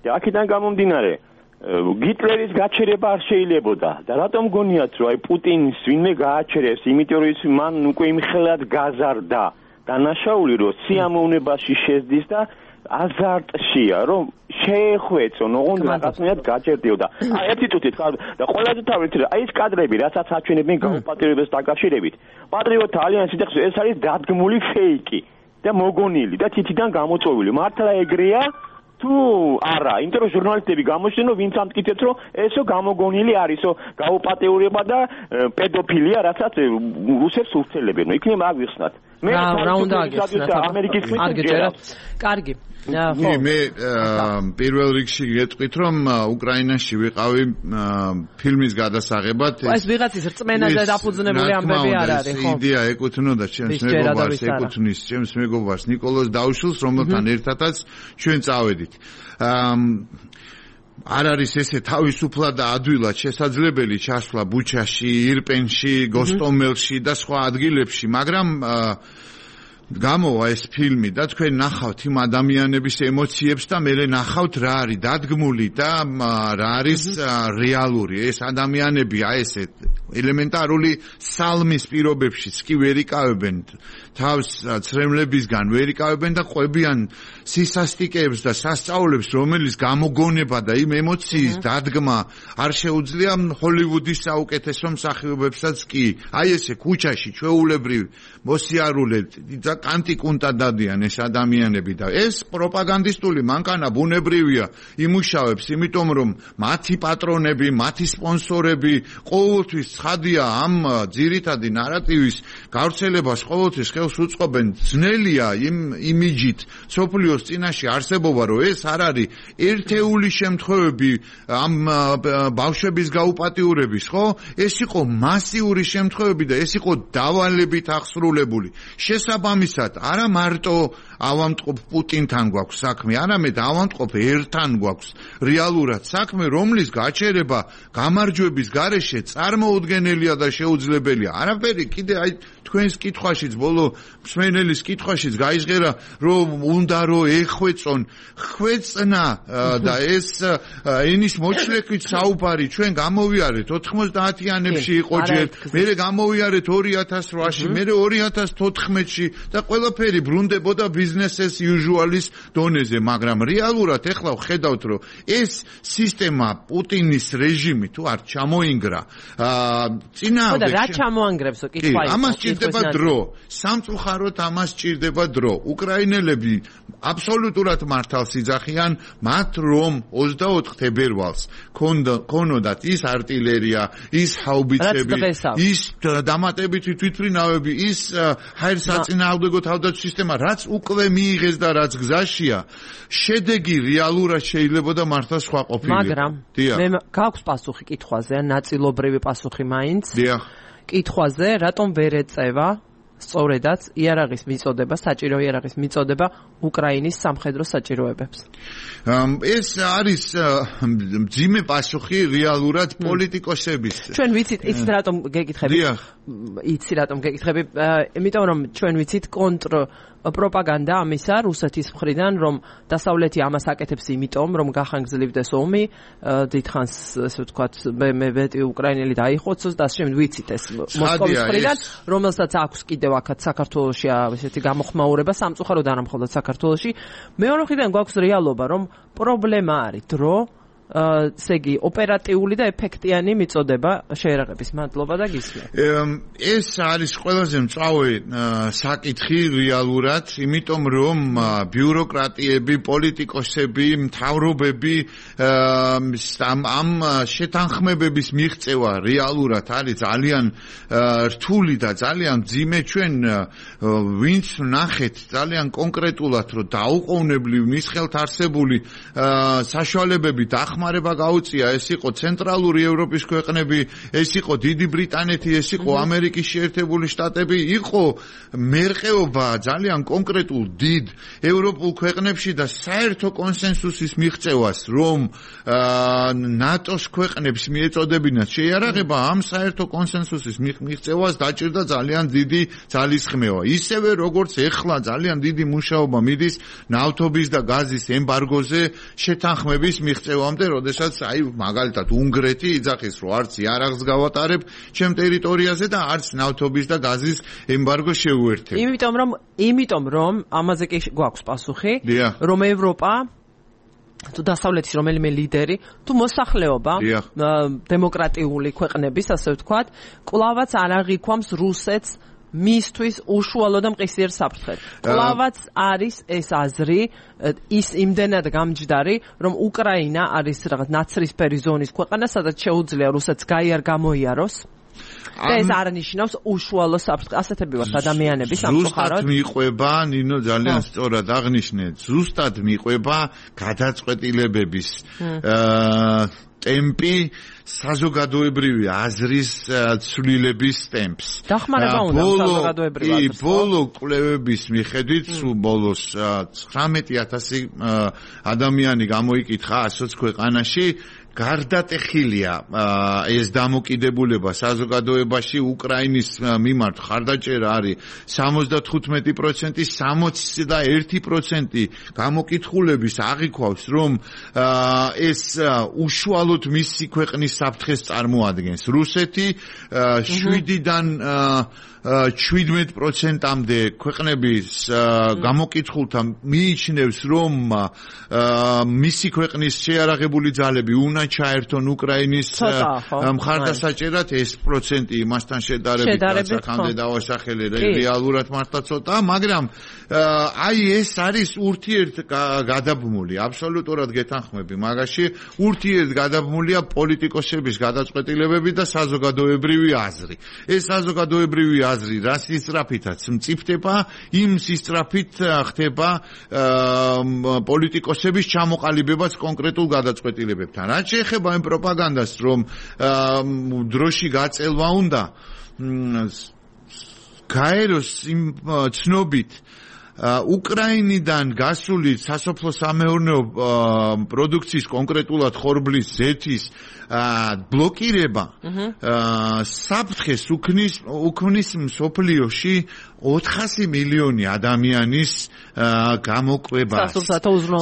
[SPEAKER 4] და აქედან გამომდინარე გიტლერის გაჩერება არ შეიძლებოდა და რატომ გონიათ რომ აი პუტინს ვინმე გააჩერებს იმიტომ რომ ის მან უკვე იმხელად გაზარდა დანაშაული რომ სიამოვნებაში შეძდის და აზარტშია რომ შეეხვეწონ ოღონდ რაღაცნაირად გაჭერდიოდა აი ერთი თუთი თქვა და ყველაზე თავით აი ეს კადრები რასაც აჩვენებენ გაუპატრიობებს დაკავშირებით პატრიოტთა ალიანსი და ეს არის დადგმული ფეიკი და მოგონილი და თითიდან გამოწვეული მართლა ეგრეა თუ არა, იმიტომ რომ ჟურნალისტები გამოჩნდნენ, ვინც ამტკიცებს, რომ ესო გამოგონილი არისო გაუპატეურება და პედოფილია, რასაც რუსებს ურთელებენ. იქნება აგვიხსნათ.
[SPEAKER 1] მე რა უნდა აგიხსნათ
[SPEAKER 4] ამერიკის
[SPEAKER 1] გეჭერათ. კარგი.
[SPEAKER 2] მე პირველ რიგში გეტყვით, რომ უკრაინაში ვიყავი ფილმის გადასაღებად.
[SPEAKER 1] ეს ვიღაცის რწმენაზე დაფუძნებული ამბები არ არის, ხო?
[SPEAKER 2] იდეა ეკუთვნოდა ჩემს მეგობარს, ეკუთვნის ჩემს მეგობარს ნიკოლოზ დაუშულს, რომელთან ერთადაც ჩვენ წავედით. არ არის ესე თავისუფლად და ადვილად შესაძლებელი ჩასვლა ბუჩაში, ირპენში, გოსტომელში და სხვა ადგილებში, მაგრამ გამოვა ეს ფილმი და თქვენ ნახავთ იმ ადამიანების ემოციებს და მე ნახავთ რა არის დადგმული და რა არის რეალური ეს ადამიანები აი ესე ელემენტარული სალმის პირობებშიც კი ვერ იკავებენ თავს ცრემლებისგან ვერ იკავებენ და ყვებიან სისასტიკეებს და სასწაულებს რომელიც გამოგონება და იმ ემოციის დადგმა არ შეუძლია ჰოლივუდის საუკეთესო მსახიობებსაც კი აი ესე ქუჩაში ჩვეულებრივ მოსიარულე კანტიკუნტა დადიან ეს ადამიანები და ეს პროპაგანდისტული მანქანა ბუნებრივია იმუშავებს, იმიტომ რომ მათი პატრონები, მათი სპონსორები ყოველთვის ცხადია ამ ძირითადი ნარატივის გავრცელებას ყოველთვის ხელს უწყობენ. ძნელია იმ იმიჯით სოფლიოს წინაშე არსებობა, რომ ეს არ არის ერთეული შემთხვევები ამ ბავშვების გაუპატიურების, ხო? ეს იყო მასიური შემთხვევები და ეს იყო დავალებით აღსრულებული. შესაბამისად, არა მარტო ავამტყოფ პუტინთან გვაქვს საქმე, არამედ ავამტყოფ ერთან გვაქვს რეალურად საქმე, რომლის გაჩერება გამარჯვების გარეშე წარმოუდგენელია და შეუძლებელია. არაფერი კიდე აი თქვენს კითხვაშიც, ბოლო მსმენელის კითხვაშიც გაიჟღერა, რომ უნდა რომ ეხვეწონ, ხვეწნა და ეს ენის მოჩლექვით საუბარი ჩვენ გამოვიარეთ 90-იანებში იყო ჯერ, მერე გამოვიარეთ 2008-ში, მერე 2014-ში და ყველაფერი ბრუნდებოდა business as usual-ის დონეზე, მაგრამ რეალურად ეხლა ვხედავთ, რომ ეს სისტემა პუტინის რეჟიმი თუ არ ჩამოინგრა, წინააღმდეგ
[SPEAKER 1] რა ჩამოანგრებსო კითხვა იყო.
[SPEAKER 2] ამას ჭირდება დრო. სამწუხაროდ ამას ჭირდება დრო. უკრაინელები აბსოლუტურად მართალს იძახიან, მათ რომ 24 თებერვალს ქონოდათ ის артиლერია, ის ჰაუბიცები, ის დამატებითი თვითმფრინავები, ის ჰაერსაწინააღმდეგო თავდაცვის სისტემა, რაც უკვე მიიღეს და რაც გზაშია, შედეგი რეალურად შეიძლება და მართლა სხვა ყოფილიყო.
[SPEAKER 1] მაგრამ მე გაქვს პასუხი კითხვაზე, ნაწილობრივი პასუხი მაინც.
[SPEAKER 2] დიახ.
[SPEAKER 1] კითხვაზე, რატომ ვერ ეწევა სწორედაც იარაღის მიწოდება, საჭირო იარაღის მიწოდება უკრაინის სამხედრო საჭიროებებს.
[SPEAKER 2] ეს არის მძიმე პასუხი რეალურად პოლიტიკოსების.
[SPEAKER 1] ჩვენ ვიცით, იცით რატომ გეკითხები?
[SPEAKER 2] დიახ.
[SPEAKER 1] იცი რატომ გეკითხები? იმიტომ რომ ჩვენ ვიცით პროპაგანდა ამისა რუსეთის მხრიდან, რომ დასავლეთი ამას აკეთებს იმიტომ, რომ გახანგრძლივდეს ომი, დიდხანს ესე ვთქვათ, მე ვეტი უკრაინელი დაიხოცოს და შემდეგ ვიცით ეს მოსკოვის მხრიდან, რომელსაც აქვს კიდევ აქაც საქართველოში ესეთი გამოხმაურება, სამწუხაროდ არა მხოლოდ საქართველოში. მეორე მხრიდან გვაქვს რეალობა, რომ პრობლემა არის დრო, ესე იგი ოპერატიული და ეფექტიანი მიწოდება შეერაღების. მადლობა და გისმენთ.
[SPEAKER 2] ეს არის ყველაზე მწვავე საკითხი რეალურად, იმიტომ რომ ბიუროკრატიები, პოლიტიკოსები, მთავრობები ამ შეთანხმებების მიღწევა რეალურად არის ძალიან რთული და ძალიან მძიმე. ჩვენ ვინც ვნახეთ ძალიან კონკრეტულად, რომ დაუყოვნებლივ მის ხელთ არსებული საშუალებები დახმარება გაუწია, ეს იყო ცენტრალური ევროპის ქვეყნები, ეს იყო დიდი ბრიტანეთი, ეს იყო ამერიკის შეერთებული შტატები, იყო მერყეობა ძალიან კონკრეტულ დიდ ევროპულ ქვეყნებში და საერთო კონსენსუსის მიღწევას, რომ ნატოს ქვეყნებს მიეწოდებინათ შეიარაღება, ამ საერთო კონსენსუსის მიღწევას დაჭირდა ძალიან დიდი ძალისხმევა. ისევე როგორც ეხლა ძალიან დიდი მუშაობა მიდის ნავთობის და გაზის ემბარგოზე შეთანხმების მიღწევამდე, როდესაც აი მაგალითად უნგრეთი იძახის, რომ არც იარაღს გავატარებ ჩემ ტერიტორიაზე და არც ნავთობის და გაზის ემბარგო შევუერთებ.
[SPEAKER 1] იმიტომ რომ ამაზე კი გვაქვს პასუხი, რომ ევროპა თუ დასავლეთის რომელიმე ლიდერი, თუ მოსახლეობა დემოკრატიული ქვეყნების, ასე ვთქვათ, კვლავაც არ აღიქვამს რუსეთს მისთვის უშუალო და მყისიერ საფრთხედ. კვლავაც არის ეს აზრი, ის იმდენად გამჯდარი, რომ უკრაინა არის რაღაც ნაცრისფერი ზონის ქვეყანა, სადაც შეუძლია რუსეთს გამოიაროს. და ეს არ ნიშნავს უშუალო საფრთხეს. ასეთები ვართ ადამიანები სამწუხაროდ.
[SPEAKER 2] ზუსტად მიყვება, ნინო ძალიან სწორად აღნიშნეთ, ზუსტად მიყვება გადაწყვეტილებების ტემპი საზოგადოებრივი აზრის ცვლილების ტემპს.
[SPEAKER 1] დახმარება უნდა საზოგადოებრივი აზრს.
[SPEAKER 2] ბოლო კვლევების მიხედვით, ბოლოს 19,000 ადამიანი გამოიკითხა 120 ქვეყანაში. გარდატეხილია ეს დამოკიდებულება საზოგადოებაში უკრაინის მიმართ ხარდაჭერა არის 75%, 61% გამოკითხულების აღიქვავს, რომ ეს უშუალოდ მისი ქვეყნის საფრთხეს წარმოადგენს. რუსეთი 7-დან 17%-მდე ქვეყნების გამოკითხულთა მიიჩნევს, რომ მისი ქვეყნის შეარაღებული ძალები უნდა ჩაერთონ უკრაინის მხარდასაჭერად, ეს პროცენტი იმასთან შედარებით რაც აქამდე დავასახელე რეალურად მართლა ცოტა, მაგრამ აი ეს არის ურთიერთგადაბმული, აბსოლუტურად გეთანხმები მაგაში, ურთიერთგადაბმულია პოლიტიკოსების გადაწყვეტილებები და საზოგადოებრივი აზრი. ეს საზოგადოებრივი აზრი რა სისწრაფითაც მწიფდება, იმ სისწრაფით ხდება პოლიტიკოსების ჩამოყალიბებაც კონკრეტულ გადაწყვეტილებებთან. რაც შეეხება იმ პროპაგანდას, რომ დროში გაწელვა უნდა გაეროს იმ ცნობით უკრაინიდან გასული სასოფლო-სამეურნეო პროდუქციის, კონკრეტულად ხორბლის, ზეთის ბლოკირება საფრთხეს უქმნის მსოფლიოში 400 მილიონი ადამიანის გამოკვებას.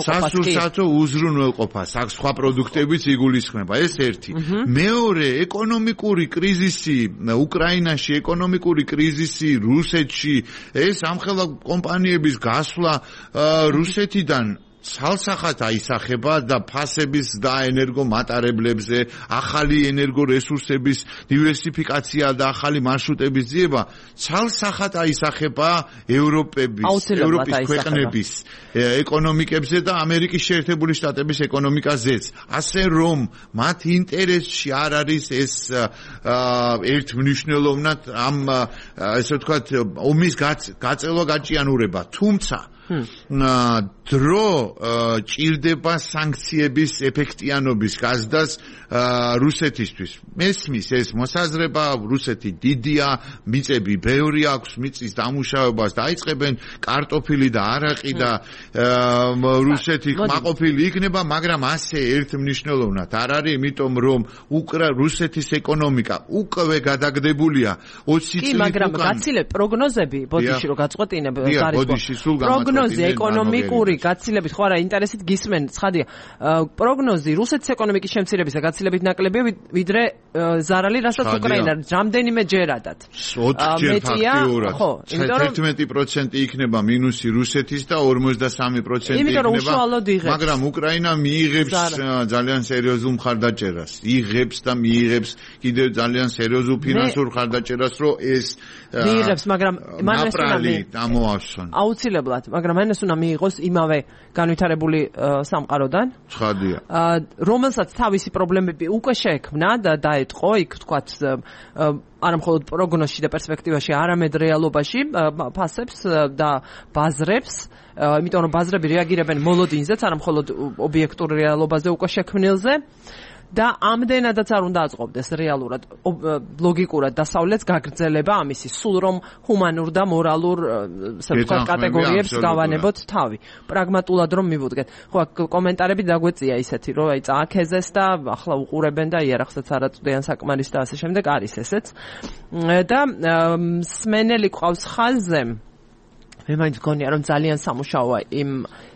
[SPEAKER 2] სასურსათო უზრუნველყოფას, აქ სხვა პროდუქტებიც იგულისხმება, ეს ერთი. მეორე, ეკონომიკური კრიზისი უკრაინაში, ეკონომიკური კრიზისი რუსეთში, ეს ამხელა კომპანიების გასვლა რუსეთიდან ცალსახად აისახება და ფასების და ენერგომატარებლებზე, ახალი ენერგორესურსების დივერსიფიკაცია და ახალი მარშრუტების ძიება ცალსახად აისახება ევროპის ქვეყნების ეკონომიკებზე და ამერიკის შეერთებული შტატების ეკონომიკაზეც. ასე რომ მათ ინტერესში არ არის ეს ერთმნიშვნელოვნად ამ ესე ვთქვათ ომის გაწელვა გაჭიანურება, თუმცა დრო ჭირდება სანქციების ეფექტიანობის გაზრდას რუსეთისთვის. მესმის ეს მოსაზრება, რუსეთი დიდია, მიწები ბევრი აქვს, მიწის დამუშავებას დაიწყებენ, კარტოფილი და არაყი და რუსეთი კმაყოფილი იქნება, მაგრამ ასე ერთმნიშვნელოვნად არ არის, იმიტომ რომ რუსეთის ეკონომიკა უკვე გადაგდებულია 20 წლით უკან. კი,
[SPEAKER 1] მაგრამ გაცილებით პროგნოზები, ბოდიში რომ გაწყვეტინებ, პროგნოზი ეკონომიკური გაცილებით ხო არა ინტერესით გისმენ, ცხადია. პროგნოზი რუსეთის ეკონომიკის შემცირებისა გაცილებით ნაკლებია, ვიდრე ზარალი, რასაც უკრაინა რამდენიმე ჯერადად.
[SPEAKER 2] 4 ჯერ ფაქტიურად. ხო, 11% იქნება მინუსი რუსეთის და 53% იქნება. მაგრამ უკრაინა მიიღებს ძალიან სერიოზულ მხარდაჭერას. იღებს და მიიღებს კიდევ ძალიან სერიოზულ ფინანსურ მხარდაჭერას, რომ ეს
[SPEAKER 1] მიიღებს, მაგრამ მან ეს
[SPEAKER 2] ამოავსონ.
[SPEAKER 1] აუცილებლად, მაგრამ მან ეს უნდა მიიღოს იმავე განვითარებული სამყაროდან.
[SPEAKER 2] ცხადია.
[SPEAKER 1] რომელსაც თავისი პრობლემები უკვე შეექმნა და დაეთყო, იქ თქვათ არა მხოლოდ პროგნოზში და პერსპექტივაში, არამედ რეალობაში ფასებს და ბაზრებს, იმიტომ რომ ბაზრები რეაგირებენ მოლოდინზეც, არა მხოლოდ ობიექტურ რეალობაზე უკვე შექმნილზე. და ამდენადაც არ უნდა აწყობდეს რეალურად, ლოგიკურად დასავლეთს გაგრძელება ამისი, სულ რომ ჰუმანურ და მორალურ კატეგორიებს გავანებოთ თავი. პრაგმატულად რომ მივუდგეთ. ხო, კომენტარები დაგვეწია ისეთი, რომ აი წააქეზეს და ახლა უყურებენ და იარაღსაც არ აწვდიან საკმარის და ასე შემდეგ, არის ესეც. და სმენელი ყავს ხაზზე. მე მაინც გონია რომ ძალიან სამუშაოა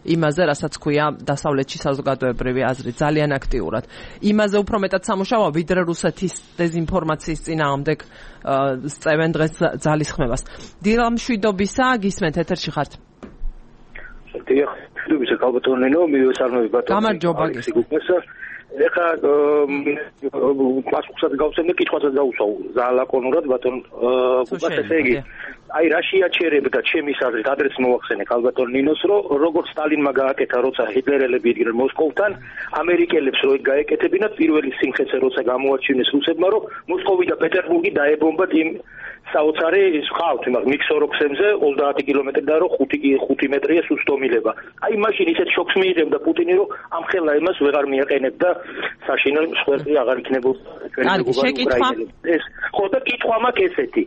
[SPEAKER 1] იმაზე, რასაც ქვია დასავლეთში საზოგადოებრივი აზრი, ძალიან აქტიურად. იმაზე უფრო მეტად სამუშაოა, ვიდრე რუსეთის დეზინფორმაციის წინააღმდეგ სწევენ დღეს ძალისხმევას. დილა მშვიდობისა, გისმენთ, ეთერში ხართ.
[SPEAKER 5] დიახ, მშვიდობისა, კალბატონენო, მივესალმები ბატონო.
[SPEAKER 1] გამარჯობა.
[SPEAKER 5] ეხლა პასუხსაც გავცემ და კითხვასაც დავუსვავ ზალაკონურად ბატონ გუკას, ესე იგი აი რა შეაჩერებდა ჩემის აზრით, ადრეც მოახსენე კალბატონ ნინოს, რომ როგორც სტალინმა გააკეთა, როცა ჰიტლერელები იდგნენ მოსკოვთან, ამერიკელებს რო გაეკეთებინათ პირველი სიმხეცე, როცა გამოაჩინეს რუსებმა, რომ მოსკოვი და პეტერბურგი დაებომბათ იმ საოცარი ხავთ იმას მიქსოროქსემზე 30 კილომეტრი და რომ 5 მეტრია სუსტომილება. აი მაშინ ისეთ შოქს მიიღებდა პუტინი, რომ ამ ხელა იმას ვეღარ მიაყენებდა საშინელ მსხვერპლი აღარ იქნებოდა ეს. ხო და კითხვა მაქვს ესეთი.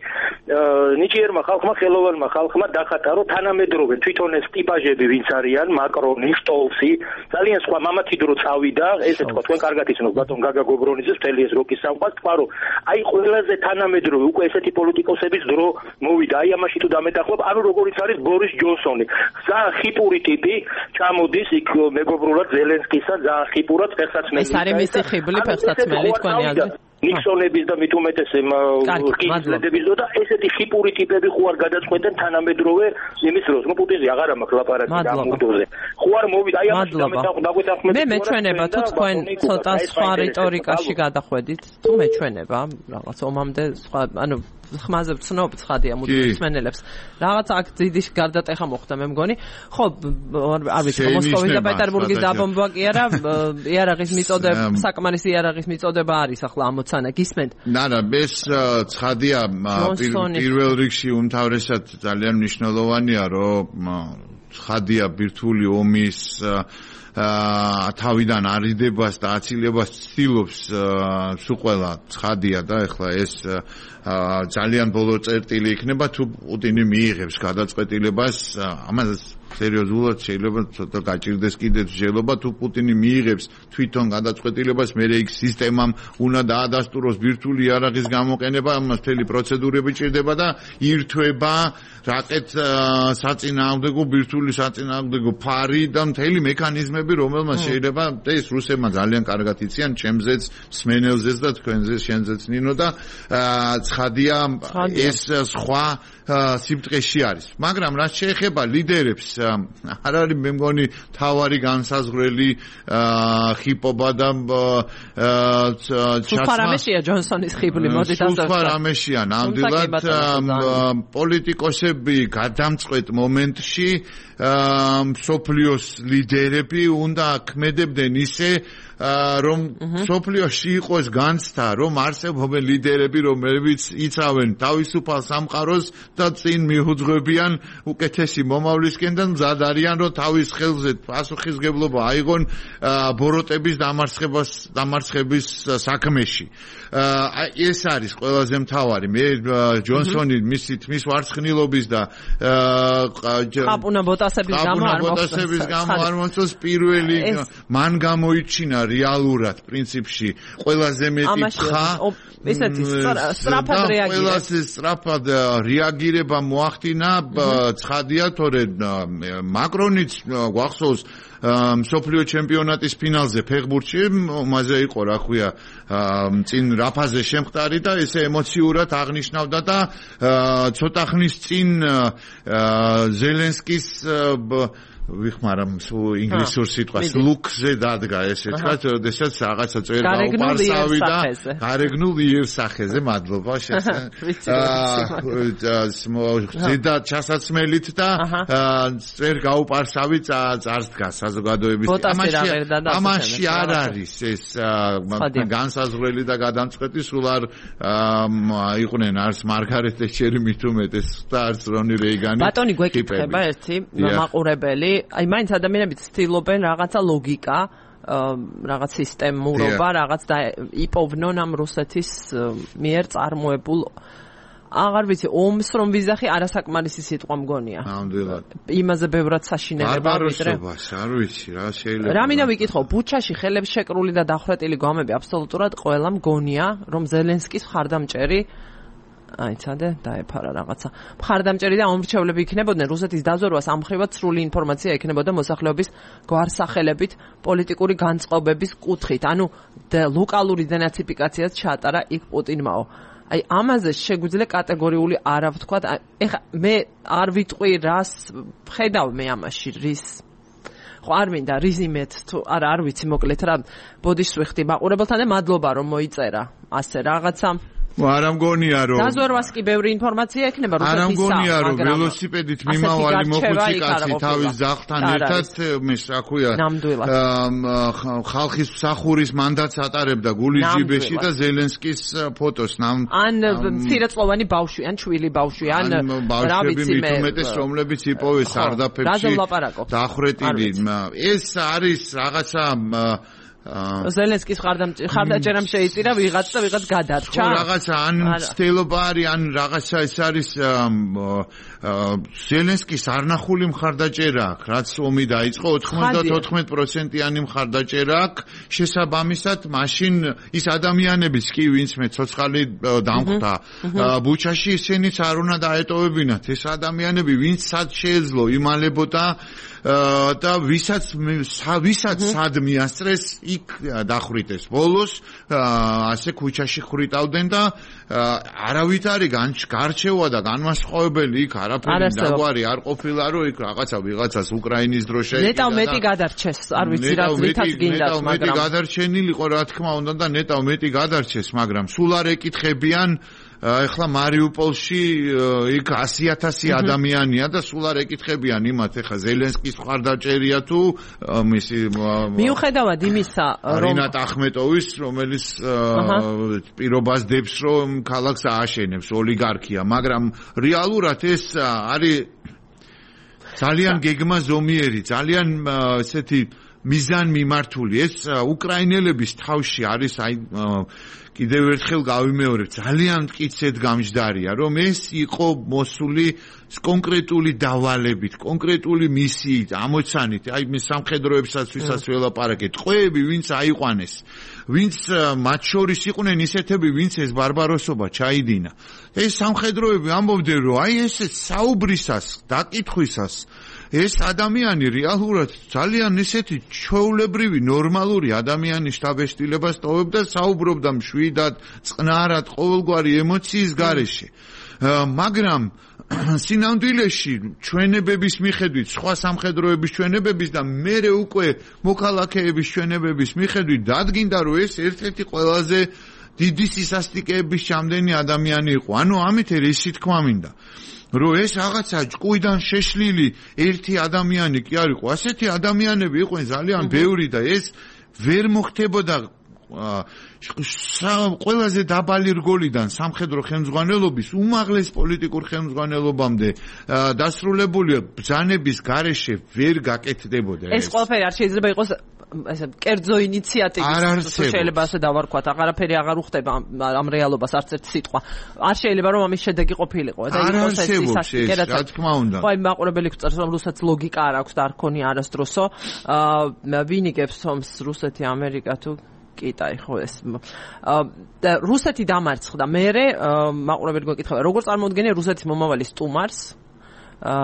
[SPEAKER 5] ნიჭიერმა ხალხმა, ხელოვანმა ხალხმა დახატა, რომ თანამედროვე თვითონ ეს ტიპაჟები ვინც არიან, მაკრონი, სტოლცი, ძალიან სხვა მამათი დრო წავიდა, ესე თქვა, თქვენ კარგად იცნობთ ბატონ გაგა გობრონიძეს მთელი ეს როკის სამყაროს, თქვა, რომ აი ყველაზე თანამედროვე უკვე ესეთი პოლიტიკოსების დრო მოვიდა, აი ამაში თუ დამეტახვალ, ანუ როგორიც არის ბორის ჯონსონი. ძალიან ხიპური ტიპი ჩამოდის იქ მეგობრულად ზელენსკისა, ძალიან ხიპურად ფეხსაცმელი.
[SPEAKER 1] ეს არის მისი ხიბლი ფეხსაცმელი, თქვენი აზრით?
[SPEAKER 5] ნიქსონების და მით უმეტეს ყიზლედების და ესეთი ხიპური ტიპები ხო არ გადაწყვეტენ თანამედროვე იმის დროს. ნუ პუტინზე აღარ მაქვს ლაპარაკი და ამუდოზე. ხო არ მოვიდა აი ამაში დაგვეთანხმებით.
[SPEAKER 1] მე მეჩვენება თუ თქვენ ცოტა სხვა რიტორიკაში გადახვედით, თუ მეჩვენება რაღაც ომამდე სხვა ანუ ხმაზე ვცნობ ცხადია მუდმივსმენელებს. რაღაც აქ დიდი გარდატეხა მოხდა მე მგონი. ხო, არ ვიცი, მოსკოვის და პეტერბურგის დაბომბვა კი არა, იარაღის მიწოდება, საკმარისი იარაღის მიწოდება არის ახლა ამოცანა, გისმენთ?
[SPEAKER 2] არა, ეს ცხადია პირველ რიგში უმთავრესად ძალიან მნიშვნელოვანია, რომ ცხადია ბირთვული ომის თავიდან არიდებას და აცილებას ცდილობს სულ ყველა ცხადია და ეხლა ეს ძალიან ბოლო წერტილი იქნება თუ პუტინი მიიღებს გადაწყვეტილებას ამას სერიოზულად შეიძლება ცოტა გაჭირდეს კიდეც შეიძლება თუ პუტინი მიიღებს თვითონ გადაწყვეტილებას მე იქ სისტემამ უნდა დაადასტუროს ბირთვული იარაღის გამოყენება ამას მთელი პროცედურები ჭირდება და ირთვება რაკეტ საწინააღმდეგო ბირთვული საწინააღმდეგო ფარი და მთელი მექანიზმები რომელმაც შეიძლება ეს რუსებმა ძალიან კარგად იციან ჩემზეც სმენელზეც და თქვენზეც შენზეც ნინო და ცხადია ეს სხვა სიბტყეში არის მაგრამ რაც შეეხება ლიდერებს არ არის მე მგონი თავარი განსაზღვრელი ხიპობა და
[SPEAKER 1] სუფარამეშია ჯონსონის ხიბლი მოდი დასწრებით
[SPEAKER 2] სუფარამეშია ნამდვილად პოლიტიკოსები გადამწყვეტ მომენტში სოფლიოს ლიდერები უნდა ქმედებდნენ ისე რომ სოფლიოში იყოს განცდა რომ არსებობენ ლიდერები რომლებიც იცავენ თავისუფალ სამყაროს და წინ მიუძღვებიან უკეთესი მომავლისკენ და მზად არიან რომ თავის ხელზე პასუხისგებლობა აიღონ ბოროტების დამარცხების საქმეში ეს არის ყველაზე მთავარი მე ჯონსონი მისი თმის ვარცხნილობის და
[SPEAKER 1] ხაპუნა ბოტასების
[SPEAKER 2] გამო არ მოსწონს პირველი მან გამოიჩინა რეალურად პრინციპში ყველაზე მეტი თხა
[SPEAKER 1] ესეთი სწრაფად რეაგირება
[SPEAKER 2] ყველაზე სწრაფად რეაგირება მოახდინა ცხადია თორე მაკრონიც გვახსოვს მსოფლიო ჩემპიონატის ფინალზე ფეხბურთში მასე იყო რა ქვია წინ რაფაზე შემხტარი და ესე ემოციურად აღნიშნავდა და ცოტა ხნის წინ ზელენსკის ვიხმარამ ინგლისურ სიტყვას ლუქზე დადგა ესე თქვა, როდესაც რაღაცა წერ გაუპარსავი და გარეგნულ იერსახეზე მადლობა ზედა ჩასაცმელით და წერ გაუპარსავი წარს დგას საზოგადოების ამაში არ არის ეს განსაზღვრელი და გადამწყვეტი სულ არ იყვნენ არც მარგარეტ თეჩერი მით უმეტეს და არც რონი რეიგანი
[SPEAKER 1] ბატონი გვეკითხება ერთი მაყურებელი აი მაინც ადამიანები ცდილობენ რაღაცა ლოგიკა რაღაც სისტემურობა რაღაც და იპოვნონ ამ რუსეთის მიერ წარმოებულ აღარ ვიცი ომს რომ ვიზახი არასაკმარისი სიტყვა მგონია
[SPEAKER 2] ნამდვილად
[SPEAKER 1] იმაზე ბევრად საშინელება ვიდრე
[SPEAKER 2] არ ვიცი რა შეიძლება
[SPEAKER 1] რამინდა ვიკითხო ბუჩაში ხელებს შეკრული და დახრეტილი გვამები აბსოლუტურად ყველა მგონია რომ ზელენსკის მხარდამჭერი აი ცადე დაეფარა რაღაცა მხარდამჭერი და ამრჩევლები იქნებოდნენ რუსეთის დაზვერვას ამხრივად სრული ინფორმაცია ექნებოდა მოსახლეობის გვარსახელებით პოლიტიკური განწყობების კუთხით ანუ ლოკალური დენაციფიკაციაც ჩაატარა იქ პუტინმაო აი ამაზე შეგვიძლია კატეგორიული არა ვთქვათ ეხა მე არ ვიტყვი რას ხედავ მე ამაში რის ხო არ მინდა რიზიმეთ თუ არა არ ვიცი მოკლედ რა ბოდიშს ვიხდი მაყურებელთან და მადლობა რომ მოიწერა ასე რაღაცა
[SPEAKER 2] არ ამგონია რომ
[SPEAKER 1] დაზვერვას კი ბევრი ინფორმაცია ექნება
[SPEAKER 2] რუსეთის არ ამგონია რომ ველოსიპედით მიმავალი მოხუცი კაცი თავის ძაღლთან ერთად მის რა ქვია ხალხის მსახურის მანდატს ატარებდა გულის ჯიბეში და ზელენსკის ფოტოს
[SPEAKER 1] ან მცირეწლოვანი ბავშვი ან შვილი ბავშვი ან რა ვიცი მე
[SPEAKER 2] უმეტეს რომლებიც იპოვეს სარდაფებში დახრეტილი ეს არის რაღაცა
[SPEAKER 1] ზელენსკის ხარდაჭერამ შეიწირა ვიღაც და ვიღაც გადარჩა.
[SPEAKER 2] რაღაცა ან ცდილობა არის ან რაღაცა ეს არის ზელენსკის არნახული მხარდაჭერა აქვს, რაც ომი დაიწყო 94%-იანი მხარდაჭერა აქვს. შესაბამისად, მაშინ ის ადამიანებიც კი, ვინც მე ცოცხალი დამხვდა ბუჩაში, ისინიც არ უნდა დაეტოვებინათ. ეს ადამიანები, ვინც სად შეეძლო იმალებოდა და ვისაც სად მიასწრეს, იქ დახვრიტეს. ბოლოს ასე ქუჩაში ხრიტავდნენ და არავით არის გარჩევა და განმასხვავებელი იქ არაფერი დაგვარი არ ყოფილა, რომ იქ ვიღაცას უკრაინის დრო შეეკიდა.
[SPEAKER 1] ნეტავ მეტი გადარჩეს, არ ვიცი რა თვითაც გინდათ, მაგრამ
[SPEAKER 2] მეტი გადარჩენილიყო რა თქმა უნდა და ნეტავ მეტი გადარჩეს, მაგრამ სულ არ ეკითხებიან ეხლა მარიუპოლში იქ 100,000 ადამიანია და სულ არ ეკითხებიან იმათ, ეხლა ზელენსკის მხარდაჭერია თუ მისი
[SPEAKER 1] მიუხედავად იმისა, რომ
[SPEAKER 2] რინატ ახმეტოვის, რომელიც პირობას დებს, რომ ქალაქს ააშენებს ოლიგარქია, მაგრამ რეალურად ეს არის ძალიან გეგმა ზომიერი, ძალიან ესეთი მიზან მიმართული. ეს უკრაინელების თავში არის კიდევ ერთხელ გავიმეორებ, ძალიან მტკიცედ გამჯდარია, რომ ეს იყო მოსული კონკრეტული დავალებით, კონკრეტული მისიით, ამოცანით, აი მე სამხედროებსაც ვისაც ველაპარაკეთ, ტყვეები ვინც აიყვანეს, ვინც მათ შორის იყვნენ ისეთები, ვინც ეს ბარბაროსობა ჩაიდინა. ეს სამხედროები ამბობდნენ, რომ აი ეს საუბრისას, დაკითხვისას ეს ადამიანი რეალურად ძალიან ისეთი ჩვეულებრივი ნორმალური ადამიანის შთაბეჭდილებას ტოვებდა, საუბრობდა მშვიდად, წყნარად, ყოველგვარი ემოციის გარეშე. მაგრამ სინამდვილეში ჩვენებების მიხედვით, სხვა სამხედროების ჩვენებების და მერე უკვე მოქალაქეების ჩვენებების მიხედვით დადგინდა, რომ ეს ერთ-ერთი ყველაზე დიდი სისასტიკეების ჩამდენი ადამიანი იყო. ანუ ამით რისი თქვა მინდა, რომ ეს რაღაცა ჭკუიდან შეშლილი ერთი ადამიანი კი არ იყო. ასეთი ადამიანები იყვნენ ძალიან ბევრი და ეს ვერ მოხდებოდა ყველაზე დაბალი რგოლიდან სამხედრო ხელმძღვანელობის უმაღლეს პოლიტიკურ ხელმძღვანელობამდე დასრულებული ბრძანების გარეშე ვერ გაკეთდებოდა.
[SPEAKER 1] ეს ყველაფერი არ შეიძლება იყოს ესე კერძო ინიციატივის, შეიძლება ასე დავარქვათ, აღარაფერი აღარ უხდება ამ რეალობას არც ერთი სიტყვა. არ შეიძლება რომ ამის შედეგი ყოფილიყო და
[SPEAKER 2] იყოს ეს ისასტიკე, რა თქმა უნდა.
[SPEAKER 1] ხო, აი მაყურებელი გვწერს, რომ რუსეთს ლოგიკა არ აქვს და არ ქონია არასდროსო. ვინ იგებს ომს, რუსეთი, ამერიკა თუ კიტაი, ხო ეს. და რუსეთი დამარცხდა. მერე მაყურებელი გვეკითხება, როგორ წარმოუდგენია რუსეთის მომავალი სტუმარს,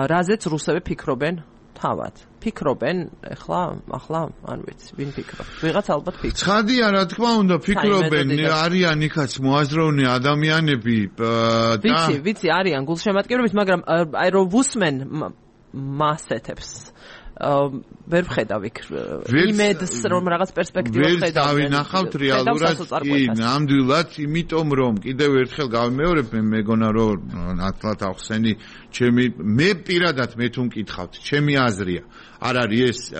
[SPEAKER 1] რაზეც რუსები ფიქრობენ თავად. ფიქრობენ ახლა არ ვიცი, ვინ ფიქრობს. ვიღაც ალბათ ფიქრობს.
[SPEAKER 2] ცხადია, რა თქმა უნდა, ფიქრობენ, არიან იქაც მოაზროვნე ადამიანები და
[SPEAKER 1] ვიცი, არიან გულშემატკივრების, მაგრამ აი რომ ვუსმენ მასეთებს ვერ ვხედავ იქ იმედს, რომ რაღაც პერსპექტივა
[SPEAKER 2] ვხედავ. ვერ დავინახავთ რეალურად, კი, ნამდვილად, იმიტომ რომ კიდევ ერთხელ გავიმეორებ, მე მეგონა რომ ნათლად ახსენი, მე პირადად მე თუ მკითხავთ, ჩემი აზრია. არ არის ეს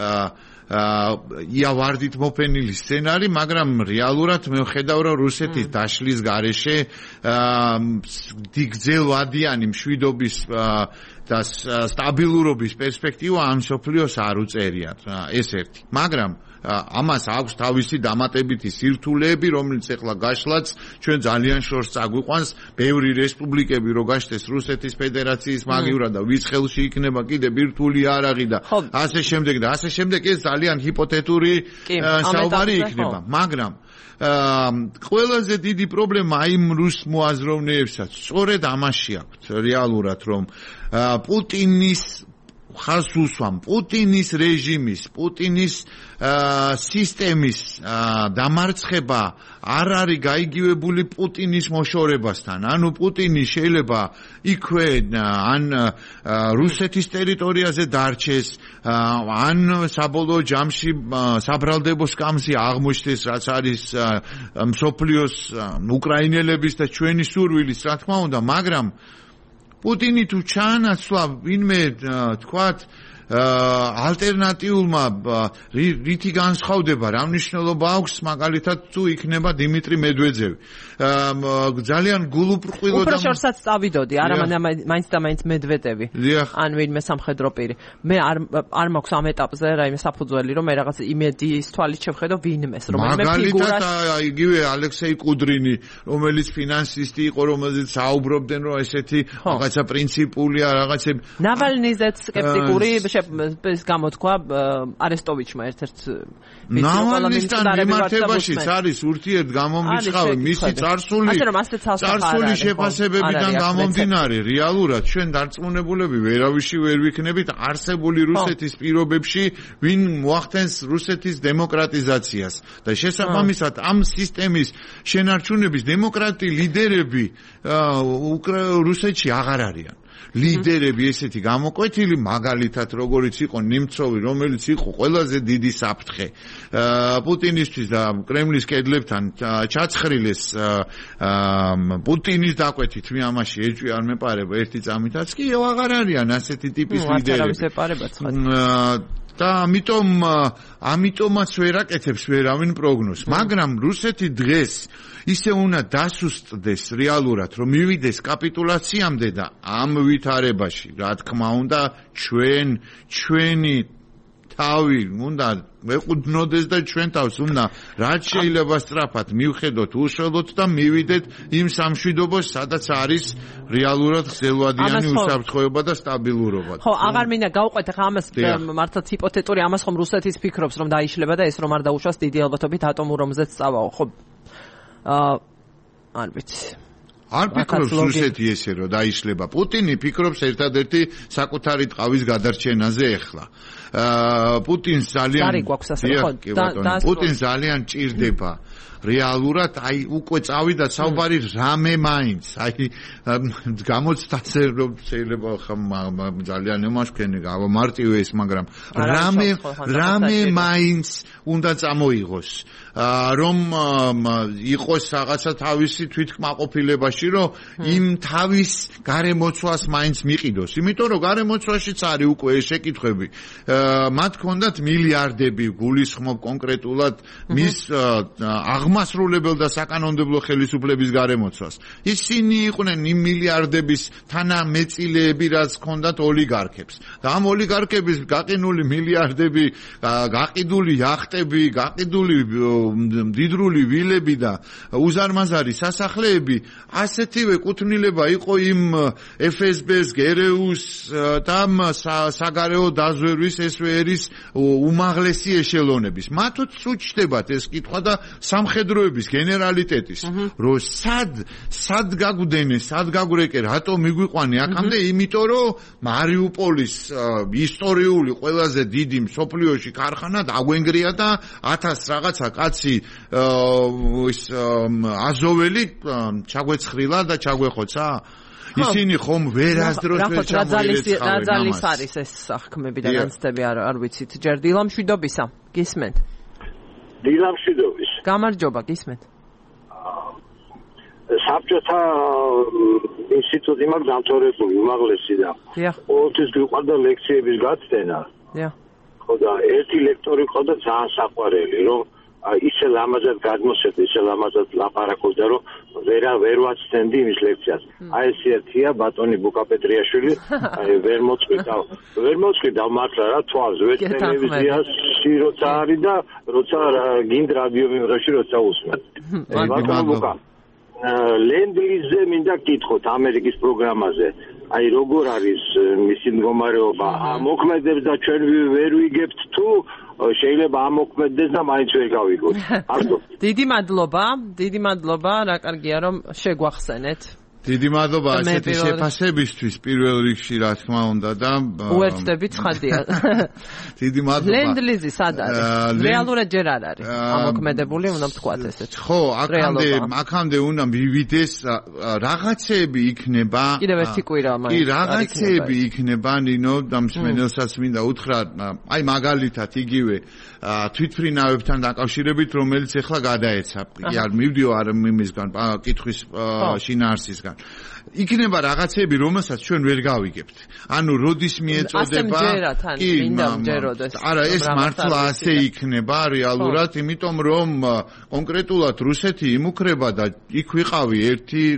[SPEAKER 2] იავარდით მოფენილი სცენარი, მაგრამ რეალურად მე ვხედავ, რომ რუსეთის დაშლის გარეშე გრძელვადიანი მშვიდობის და სტაბილურობის პერსპექტივა ამ სოფლიოს არ უწერიათ. ეს ერთი. მაგრამ ამას აქვს თავისი დამატებითი სირთულეები, რომელიც ეხლა გაშლაც ჩვენ ძალიან შორს წაგვიყვანს. ბევრი რესპუბლიკები რო გაშთეს რუსეთის ფედერაციის მაგივრად და ვის ხელში იქნება კიდე ბირთვული იარაღი და ასე შემდეგ და ასე შემდეგ, ეს ძალიან ჰიპოთეტური საუბარი იქნება. მაგრამ ყველაზე დიდი პრობლემა იმ რუს მოაზროვნეებსაც სწორედ ამაში აქვს რეალურად, რომ პუტინის ხალხს უსვამ, პუტინის რეჟიმის, პუტინის სისტემის დამარცხება არ არის გაიგივებული პუტინის მოშორებასთან. ანუ პუტინი შეიძლება იქვე ან რუსეთის ტერიტორიაზე დარჩეს, ან საბოლოო ჯამში საბრალდებო სკამზე აღმოჩნდეს, რაც არის მსოფლიოს უკრაინელების და ჩვენი სურვილის, რა თქმა უნდა, მაგრამ პუტინი თუ ჩაანაცვლა ვინმე თქვათ ალტერნატიულმა რითი განსხვავდება, რა მნიშვნელობა აქვს მაგალითად თუ იქნება დიმიტრი მედვედევი. ძალიან გულუბრყვილო
[SPEAKER 1] და უფრო შორსაც წავიდოდი, არა მაინც და მაინც მედვედევი. ან ვინმე სამხედრო პირი. მე არ მაქვს ამ ეტაპზე რაიმე საფუძველი, რომ მე რაღაც იმედიის თვალით შევხედო ვინმეს, რომელიმე ფიგურას.
[SPEAKER 2] მაგალითად იგივე ალექსეი კუდრინი, რომელიც ფინანსისტი იყო, რომელზეც საუბრობდნენ, რომ ესეთი რაღაცა პრინციპულია, რაღაცები.
[SPEAKER 1] ნავალნიზეც სკეპტიკური გამოთქვა არესტოვიჩმა ერთ-ერთ
[SPEAKER 2] ნავალნისთან მიმართებაშიც არის ურთიერთგამომრიცხავი მისი წარსული შეფასებებიდან გამომდინარე. რეალურად ჩვენ დარწმუნებულები ვერავიში ვერ ვიქნებით არსებული რუსეთის პირობებში, ვინ მოახდენს რუსეთის დემოკრატიზაციას და შესაბამისად ამ სისტემის შენარჩუნების დემოკრატი ლიდერები რუსეთში აღარ არიან. ლიდერები ესეთი გამოკვეთილი, მაგალითად როგორიც იყო ნემცოვი, რომელიც იყო ყველაზე დიდი საფრთხე პუტინისთვის და კრემლის კედლებთან ჩაცხრილეს პუტინის დაკვეთით მე ამაში ეჭვი არ მეპარება ერთი წამითაც კი აღარ არიან ასეთი ტიპის ლიდერები და ამიტომაც ვერ აკეთებს ვერავინ პროგნოზს, მაგრამ რუსეთი დღეს ისე უნდა დასუსტდეს რეალურად, რომ მივიდეს კაპიტულაციამდე და ამ ვითარებაში, რა თქმა უნდა, ჩვენი თავი უნდა მეყუდნოდეს და ჩვენ თავს უნდა რაც შეიძლება სწრაფად მივხედოთ, უშველოთ და მივიდეთ იმ სამშვიდობოს, სადაც არის რეალურად ხსელვადიანი უსაფრთხოება და სტაბილურობა.
[SPEAKER 1] ხო, აღარ მინდა გავყვეთ ახლა ამას მართლაც ჰიპოთეტური ამას ხომ რუსეთის ფიქრობს, რომ დაიშლება და ეს რომ არ დაუშვას დიდი ალბათობით ატომურ ომზეც წავაო, ხო? არ ვიცი.
[SPEAKER 2] არ ფიქრობს რუსეთი ესე რომ დაიშლება. პუტინი ფიქრობს ერთადერთი საკუთარი ტყავის გადარჩენაზე ახლა. პუტინს ძალიან ჭირდება რეალურად აი უკვე წავიდა საუბარი რამე მაინც აი გამოცდაზე რომ შეიძლება ძალიან ემაშქენი გამარტივე ეს მაგრამ რამე მაინც უნდა წამოიღოს რომ იყოს რაღაცა თავისი თვითკმაყოფილებაში რომ იმ თავის გარემოცვას მაინც მიყიდოს იმიტომ რომ გარემოცვაშიც არის უკვე ეს შეკითხვები მათ ჰქონდათ მილიარდები გულისხმობ კონკრეტულად მის აღმასრულებელ და საკანონმდებლო ხელისუფლების გარემოცვას. ისინი იყვნენ იმ მილიარდების თანამეწილეები, რაც ჰქონდათ ოლიგარქებს. და ამ ოლიგარქების გაყინული მილიარდები, გაყიდული яхტები, გაყიდული მდიდრული ვილები და უზარმაზარი სასახლეები, ასეთივე კუთვნილება იყო იმ FSB-ს, GRU-ს და საგარეო დაზვერვის SVR-ის უმაღლესი ეშელონების. მათაც უჩნდებათ ეს კითხვა და სამხედროების გენერალიტეტის რომ სად გაგვდენე, სად გაგვრეკე, რატო მიგვიყვანი აქამდე, იმიტომ რომ მარიუპოლის ისტორიული ყველაზე დიდი მსოფლიოში ქარხანა დაგვენგრია და 1000 რაღაცა კაცი აზოველი ჩაგვეცხრილა და ჩაგვეხოცა. ისინი ხომ ვერასდროს ვერ ჩამოერეცხავენ ამას. რა ძალის
[SPEAKER 1] არის ეს სახქმები და განცდები არ ვიცით. ჯერ დილამშვიდობისა, გისმენთ?
[SPEAKER 6] დილამშვიდობის.
[SPEAKER 1] გამარჯობა, გისმენთ.
[SPEAKER 6] საბჭოთა ინსტიტუტი მაქვს დამთავრებული უმაღლესი და ყოველთვის გვიყვარდა ლექციების გაცდენა. ხო და ერთი ლექტორი ყავდა ძალიან საყვარელი, რომ ისე ლამაზად გადმოსცემდა, ისე ლამაზად ლაპარაკობდა, რომ ვერ ვაცდენდი იმის ლექციას. აი ეს ერთია ბატონი ბუკაპეტრიაშვილი, ვერ მოწყვიდა მართლა რა თვალს, ვერ ტელევიზიაში როცა არის და როცა გინდ რადიო მიმღებში როცა usმენ. ბატონო ბუკა. ლენდ-ლიზზე მინდა გკითხოთ ამერიკის პროგრამაზე. აი როგორ არის მისი მდგომარეობა? მოქმედებს და ჩვენ ვერ ვიგებთ თუ შეიძლება ამოქმედდეს და მაინც ვერ გავიგოთ.
[SPEAKER 1] დიდი მადლობა, რა კარგია რომ შეგვახსენეთ.
[SPEAKER 2] დიდი მადლობა ასეთი შეფასებისთვის პირველ რიგში რა თქმა უნდა და
[SPEAKER 1] უერთდები ცხადია.
[SPEAKER 2] დიდი მადლობა.
[SPEAKER 1] ლენდ-ლიზი სად არის? რეალურად ჯერ არ არის. ამოქმედებული უნდა ვთქვათ ესეც.
[SPEAKER 2] ხო, აქამდე უნდა მივიდეს რაღაცეები იქნება.
[SPEAKER 1] კიდევ ერთი კვირა მაინც.
[SPEAKER 2] კი, რაღაცეები იქნება, ნინო და მსმენელსაც მინდა უთხრა, აი მაგალითად იგივე თვითმფრინავებთან დაკავშირებით, რომელიც ახლა გადაეცა. კი არ მივდიო არ იმისგან კითხვის შინაარსისგან. ქვეყნებისგან. იქნება რაღაცები, რომელსაც ჩვენ ვერ გავიგებთ. ანუ როდის მიეწოდება?
[SPEAKER 1] კი,
[SPEAKER 2] არა, ეს მართლა ასე იქნება რეალურად, იმიტომ რომ კონკრეტულად რუსეთი იმუქრება და იქ ვიყავი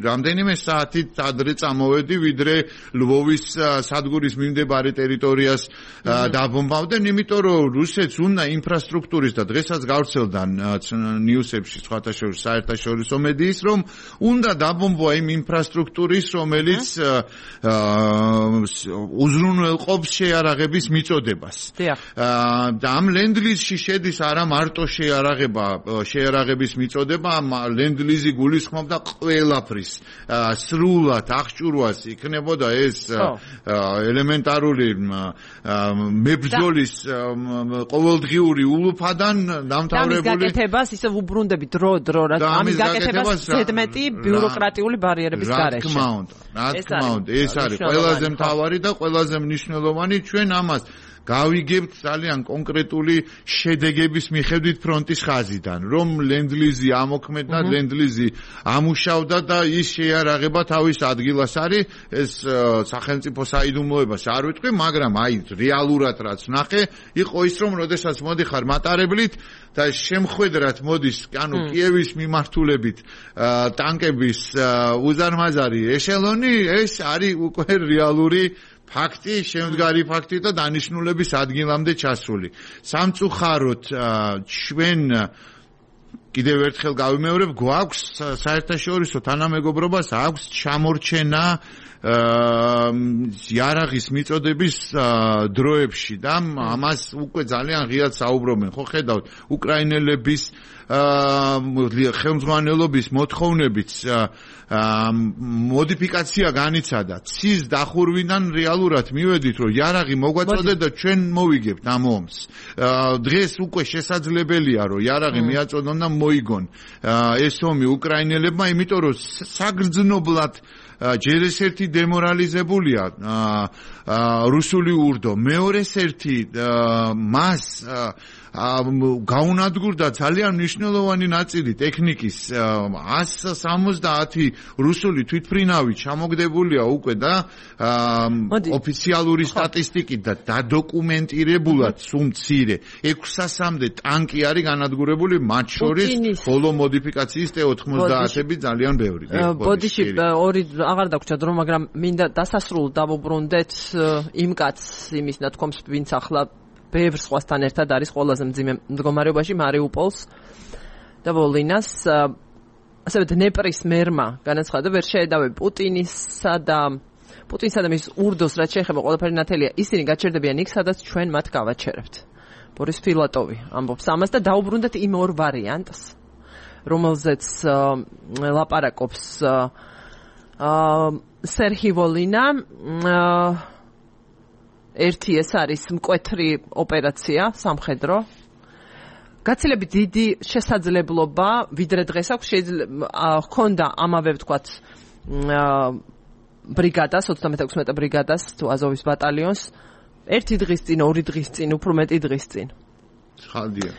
[SPEAKER 2] რამდენიმე საათით ადრე წამოვედი, ვიდრე ლვოვის სადგურის მიმდებარე ტერიტორიას დაბომბავდნენ, იმიტომ რომ რუსეთს უნდა ინფრასტრუქტურის და დღესაც გავრცელდა ნიუსებში სხვათა შორის საერთაშორისო მედიის, რომ უნდა დაბომბვა იმ ინფრასტრუქტურის, რომელიც უზრუნველყოფს შეიარაღების მიწოდებას. და ამ ლენდლიზში შედის არა მარტო შეიარაღების მიწოდება, ლენდლიზი გულისხმობდა ყველაფრის სრულად აღჭურვას იქნებოდა ეს ელემენტარული მებრძოლის ყოველდღიური ულუფადან დამთავრებული.
[SPEAKER 1] ამის გაკეთებას ისე უბრუნდები დრო, ამის გაკეთებას ზედმეტი ბიუროკრატიული ბარიერების გარეშე.
[SPEAKER 2] რა თქმა უნდა, ეს არის ყველაზე მთავარი და ყველაზე მნიშვნელოვანი. ჩვენ ამას გავიგებთ ძალიან კონკრეტული შედეგების მიხედვით ფრონტის ხაზიდან, რომ ლენდლიზი ამოქმედდა, ლენდლიზი ამუშავდა და ის შეიარაღება თავის ადგილას არის. ეს სახელმწიფო საიდუმლოებას არ ვიტყვი, მაგრამ აი რეალურად რაც ნახე, იყო ის, რომ როდესაც მოდიხარ მატარებლით და შემხვედრად მოდის, ანუ კიევის მიმართულებით ტანკების უზარმაზარი ეშელონი, ეს არის უკვე რეალური ფაქტი, შემდგარი ფაქტი და დანიშნულების ადგილამდე ჩასული. სამწუხაროდ ჩვენ კიდევ ერთხელ გავიმეორებ, გვაქვს საერთაშორისო თანამეგობრობას აქვს ჩამორჩენა იარაღის მიწოდების დროებში და ამას უკვე ძალიან ღიად საუბრობენ. ხო ხედავთ, უკრაინელების ხელმძღვანელობის მოთხოვნებით მოდიფიკაცია განიცადა. ცის დახურვიდან რეალურად მივედით, რომ იარაღი მოგვაწოდეთ და ჩვენ მოვიგებთ ამ ომს. დღეს უკვე შესაძლებელია, რომ იარაღი მიაწოდონ და მოიგონ ეს ომი უკრაინელებმა, იმიტომ რომ საგრძნობლად ჯერ ეს ერთი დემორალიზებულია რუსული ურდო, მეორე ერთი მას გაუნადგურდა ძალიან მნიშვნელოვანი ნაწილი ტექნიკის 170 რუსული თვითმფრინავი ჩამოგდებულია უკვე და ოფიციალური სტატისტიკით და დადოკუმენტირებულად სულ მცირე 600-მდე ტანკი არის განადგურებული, მათ შორის ბოლო მოდიფიკაციის T-90-ები ძალიან ბევრი.
[SPEAKER 1] ბოდიში ორი აღარ დაგვრჩა დრო, მაგრამ მინდა დასასრულს დავუბრუნდეთ იმ კაცს, იმის ნათქვამს, ვინც ახლა ბევრ სხვასთან ერთად არის ყველაზე მძიმე მდგომარეობაში მარიუპოლს და ვოლინას. ასევე დნეპრის მერმა განაცხადა, ვერ შეედავე პუტინსა და მის ურდოს, რაც შეეხება ყველაფერი ნათელია, ისინი გაჩერდებიან იქ, სადაც ჩვენ მათ გავაჩერებთ. ბორის ფილატოვი ამბობს ამას და დაუბრუნდეთ იმ ორ ვარიანტს, რომელზეც ლაპარაკობს სერჰი ვოლინა. ერთი ეს არის მკვეთრი ოპერაცია სამხედრო. გაცილებით დიდი შესაძლებლობა, ვიდრე დღეს აქვს, შეიძლება ჰქონდა ამავე ვთქვათ ბრიგადას, 36 ბრიგადას თუ აზოვის ბატალიონს, ერთი დღის წინ, ორი დღის წინ, უფრო მეტი დღის წინ.
[SPEAKER 2] ხალდია.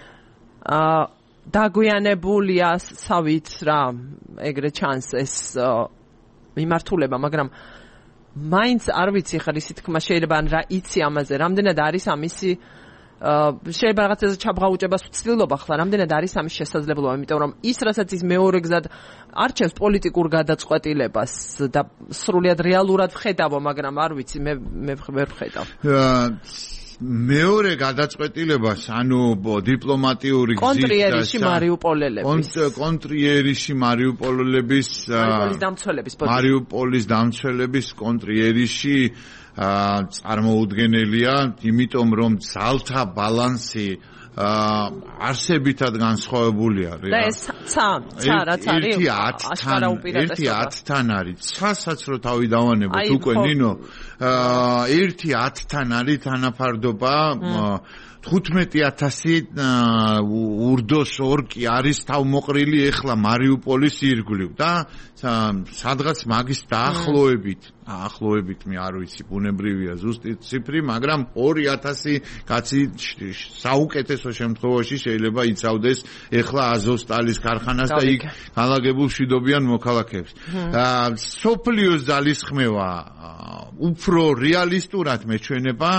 [SPEAKER 1] დაგვიანებულია, სავით რა, ეგრე ჩანს ეს მიმართულება, მაგრამ მაინც არ ვიცი ხარ ისე თქმა შეიძლება ან რა იცი ამაზე, რამდენად არის ამისი შეიძლება რაღაცაზე ჩაბღაუჭებას ვცდილობ ახლა, რამდენად არის ამის შესაძლებლობა, იმიტომ რომ ის რასაც ის მეორე გზად არჩევს პოლიტიკურ გადაწყვეტილებას და სრულიად რეალურად ვხედავო, მაგრამ არ ვიცი, მე ვერ ვხედავ.
[SPEAKER 2] მეორე გადაწყვეტილებას, ანუ დიპლომატიური
[SPEAKER 1] კონტრიერში
[SPEAKER 2] მარიუპოლელების მარიუპოლის დამცველების კონტრიერში წარმოუდგენელია, იმიტომ რომ ძალთა ბალანსი არსებითად განსხვავებულია.
[SPEAKER 1] და ეს ცა რაც არის
[SPEAKER 2] ერთი 10-თან არის. ცასაც რო თავი დავანებოთ უკვე ნინო, ერთი 10-თან არის თანაფარდობა 15,000 ურდოს ორკი არის თავმოყრილი ეხლა მარიუპოლის ირგვლივ და სადღაც მაგის დაახლოებით მე არ ვიცი, ბუნებრივია ზუსტი ციფრი, მაგრამ 2,000 კაცი საუკეთესო საინტერესო შემთხვევაში შეიძლება იცავდეს ეხლა აზოვსტალის ქარხანას და იქ განლაგებულ მშვიდობიან მოქალაქეებს. სოფლიოს ძალისხმევა უფრო რეალისტურად მეჩვენება,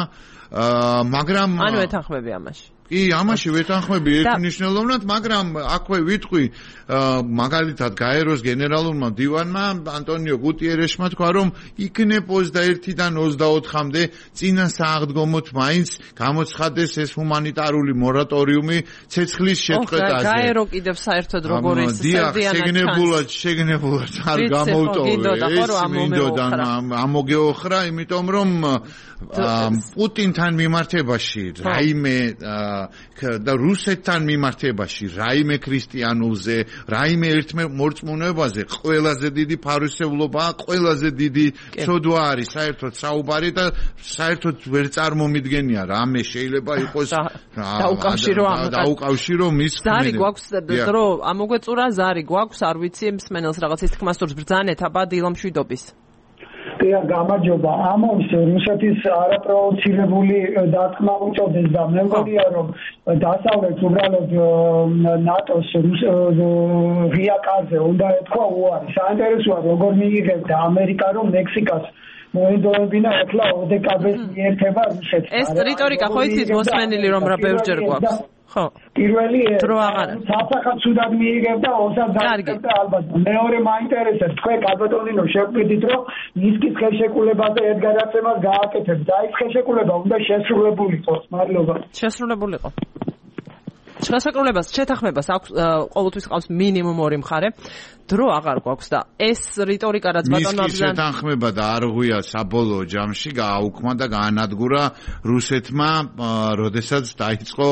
[SPEAKER 2] მაგრამ
[SPEAKER 1] ანუ ეთანხმები ამაში.
[SPEAKER 2] კი, ამაში ვეთანხმები ერთმნიშვნელოვნად, მაგრამ აქვე ვიტყვი, მაგალითად გაეროს გენერალურმა მდივანმა ანტონიო გუტიერეშმა თქვა, რომ იქნებ 21-დან 24-მდე წინა სააღდგომოთ მაინც გამოცხადეს ეს ჰუმანიტარული მორატორიუმი ცეცხლის შეწყვეტაზე.
[SPEAKER 1] გაერო კიდევ საერთოდ როგორ ის
[SPEAKER 2] შეგნებულად არ გამოვტოვე. მინდოდა ამოგეოხრა, იმიტომ რომ პუტინთან მიმართებაში რაიმე და რუსეთთან მიმართებაში რაიმე ქრისტიანულზე, რაიმე ერთმორწმუნეობაზე ყველაზე დიდი ფარისევლობაა, ყველაზე დიდი ცოდვა არის საერთოდ საუბარი და საერთოდ ვერ წარმომიდგენია რამე შეიძლება იყოს დაუკავშირო მის
[SPEAKER 1] ზარი გვაქვს დრო ამოგვეწურა ზარი გვაქვს არ ვიცი მსმენელს რაღაც ის თქმა სურს ბრძანეთ აბა დილამშვიდობის
[SPEAKER 7] გამარჯობა ამის რუსეთის არაპროვოცირებული დათქმა უწოდეს და მე მგონია რომ დასავლეთ უბრალოდ ნატოს ღიაკაზე უნდა ეთქვა უარი საინტერესოა როგორ მიიღებდა ამერიკა რომ მექსიკას მოედოებინა ეხლა ოდეკაბეს მიერთება რუსეთს
[SPEAKER 1] ეს რიტორიკა ხო იცით მოსმენილი რომ რა ბევრჯერ გვაქვს ხო
[SPEAKER 7] პირველი საფრთხე ცუდად მიიღებდა ოსაც დაიწყებდა ალბათ მეორე მაინტერესებს თქვენ კალბატონინო შეგვიდით რომ ნისკის ხელშეკრულებაზე ედგარაცემას გააკეთებს და ის ხელშეკრულება უნდა შესრულებულიყო მადლობა
[SPEAKER 1] შესრულებულიყო შესაძლებლობას შეთანხმებას აქვს ყოველთვის ყავს მინიმუმ 2 მხარე დრო აღარ გვაქვს და ეს რიტორიკა რაც ბატონო
[SPEAKER 2] მის შეთანხმება და არ ღვია საბოლოო ჯამში გააუქმა და გაანადგურა რუსეთმა როდესაც დაიწყო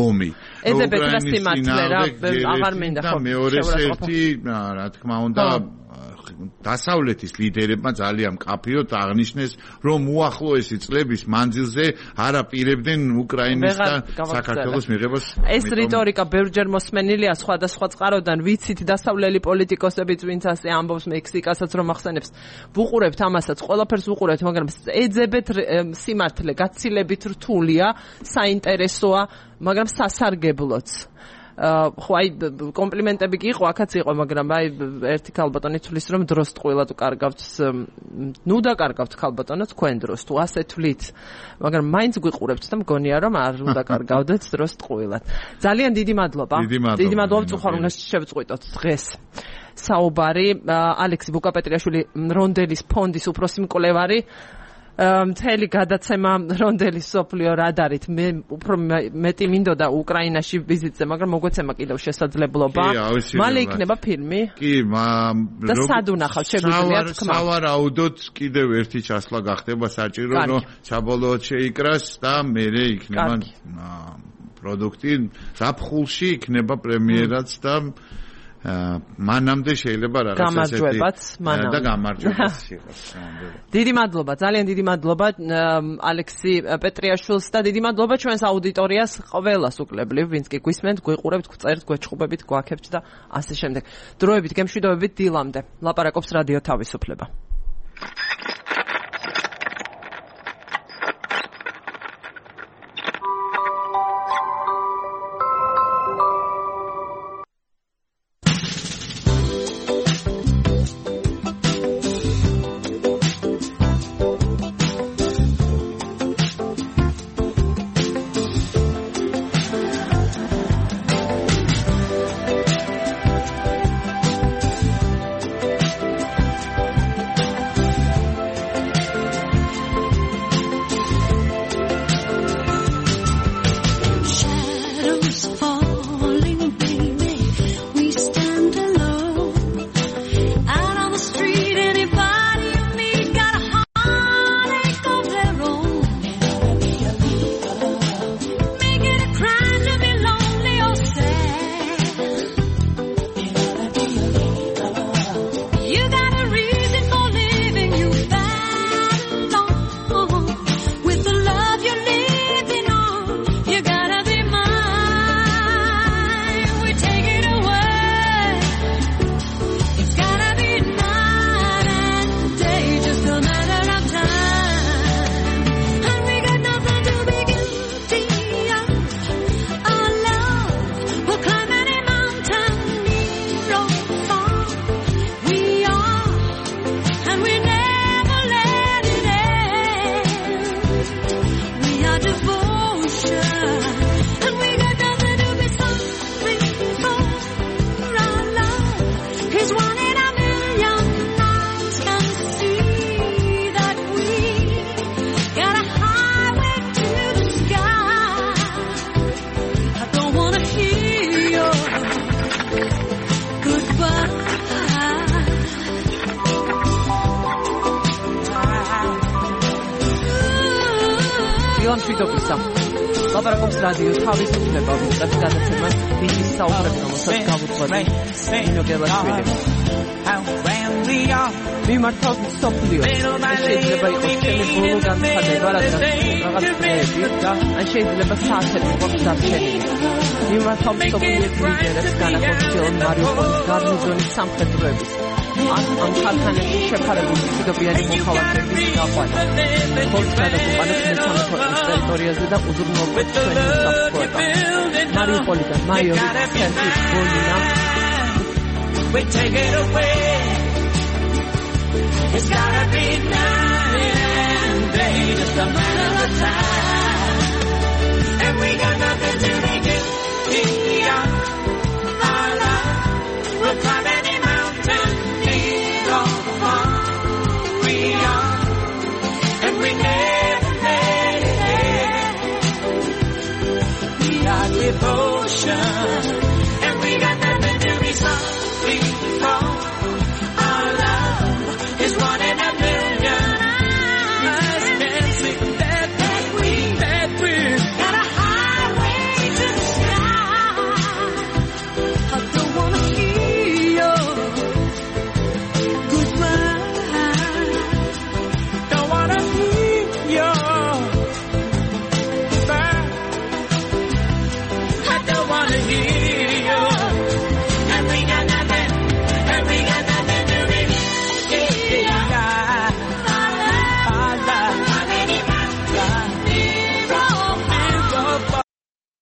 [SPEAKER 2] ომი
[SPEAKER 1] ეძებეთ რა სიმართლე რა აღარ მინდა
[SPEAKER 2] ხო მეორე ერთი რა თქმა უნდა დასავლეთის ლიდერებმა ძალიან მკაფიოდ აღნიშნეს, რომ უახლოესი წლების მანძილზე არ აპირებდნენ უკრაინის და საქართველოს მიღებას.
[SPEAKER 1] ეს რიტორიკა ბევრჯერ მოსმენილია სხვადასხვა წყაროდან, ვიცით დასავლელი პოლიტიკოსებიც ვინც ასე ამბობს მექსიკასაც რომ ახსენებს. ვუყურებთ ამასაც, ყველაფერს ვუყურებთ, მაგრამ ეძებეთ სიმართლე, გაცილებით რთულია, საინტერესოა, მაგრამ სასარგებლოც. ხო აი კომპლიმენტები კი იყო, აქაც იყო, მაგრამ აი ერთი ქალბატონი თulis რომ დროს ტყუილად უკარგავთ, ნუ დაკარგავთ ქალბატონო თქვენ დროს, თუ ასე თვლით, მაგრამ მაინც გვიყურებთ და მგონია რომ არ უნდა კარგავდეთ დროს ტყუილად. ძალიან დიდი მადლობა. დიდი მადლობა წუხარ უნდა შევწყვიტოთ დღეს. საუბარი ალექსი ბუკაპეტრიაშვილი რონდელის ფონდის უფროსი მკვლევარი მთელი გადაცემა რონდელის სოფლიო რადარით მე უფრო მეტი მინდოდა უკრაინაში ვიზიტზე, მაგრამ მოგვეცემა კიდევ შესაძლებლობა. მალე იქნება ფილმი?
[SPEAKER 2] კი,
[SPEAKER 1] და სად უნახავთ შეგვიძლია თქმა?
[SPEAKER 2] სავარაუდოდ კიდევ ერთი ჩასვლა გახდება საჭირო, რომ საბოლოოდ შეიკრას და მერე იქნება პროდუქტი ზაფხულში იქნება პრემიერაც და მანამდე შეიძლება რაღაც ესეთი და გამარჯვებაც იყოს.
[SPEAKER 1] დიდი მადლობა, ძალიან დიდი მადლობა ალექსი პეტრიაშვილს და დიდი მადლობა ჩვენს აუდიტორიას ყველას უკლებლივ, ვინც კი გვისმენთ, გვიყურებთ, გვწერთ, გვეჩხუბებით, გვაქებთ და ასე შემდეგ. დროებით გემშვიდობებით დილამდე. ლაპარაკობს რადიო თავისუფლება. მშვიდობისა. ლაპარაკობს რადიო თავისუფლება ვიწყებს გადაცემას ბიჭის საუბრები, რომელსაც გავუძღვები ნინო გელაშვილი. მიმართავთ მსოფლიოს. შეიძლება იყოს ჩემი ბოლო განცხადება, რადგან რაღაც დღეები და ან შეიძლება საათები გვაქვს დარჩენილი. მიმართავთ მსოფლიოს ლიდერებს განახორციელონ მარიუპოლის გარნიზონის სამხედროების ამ ხალხანებში შეფარებული მშვიდობიანი მოქალაქეების გაყვანა. ხოლმე გადაგუყანეთ მესამე ქვეყნის ტერიტორიაზე და უზრუნველყოთ ჩვენი უსაფრთხოება. მარიუპოლიდან მაიორი სერგი ბოლინა.
[SPEAKER 8] We take it away. It's gotta be night and day, just a matter of time. And we got nothing to make it beyond our love. We'll climb any mountain, need all the fun we are. And we never made it. We are devotion.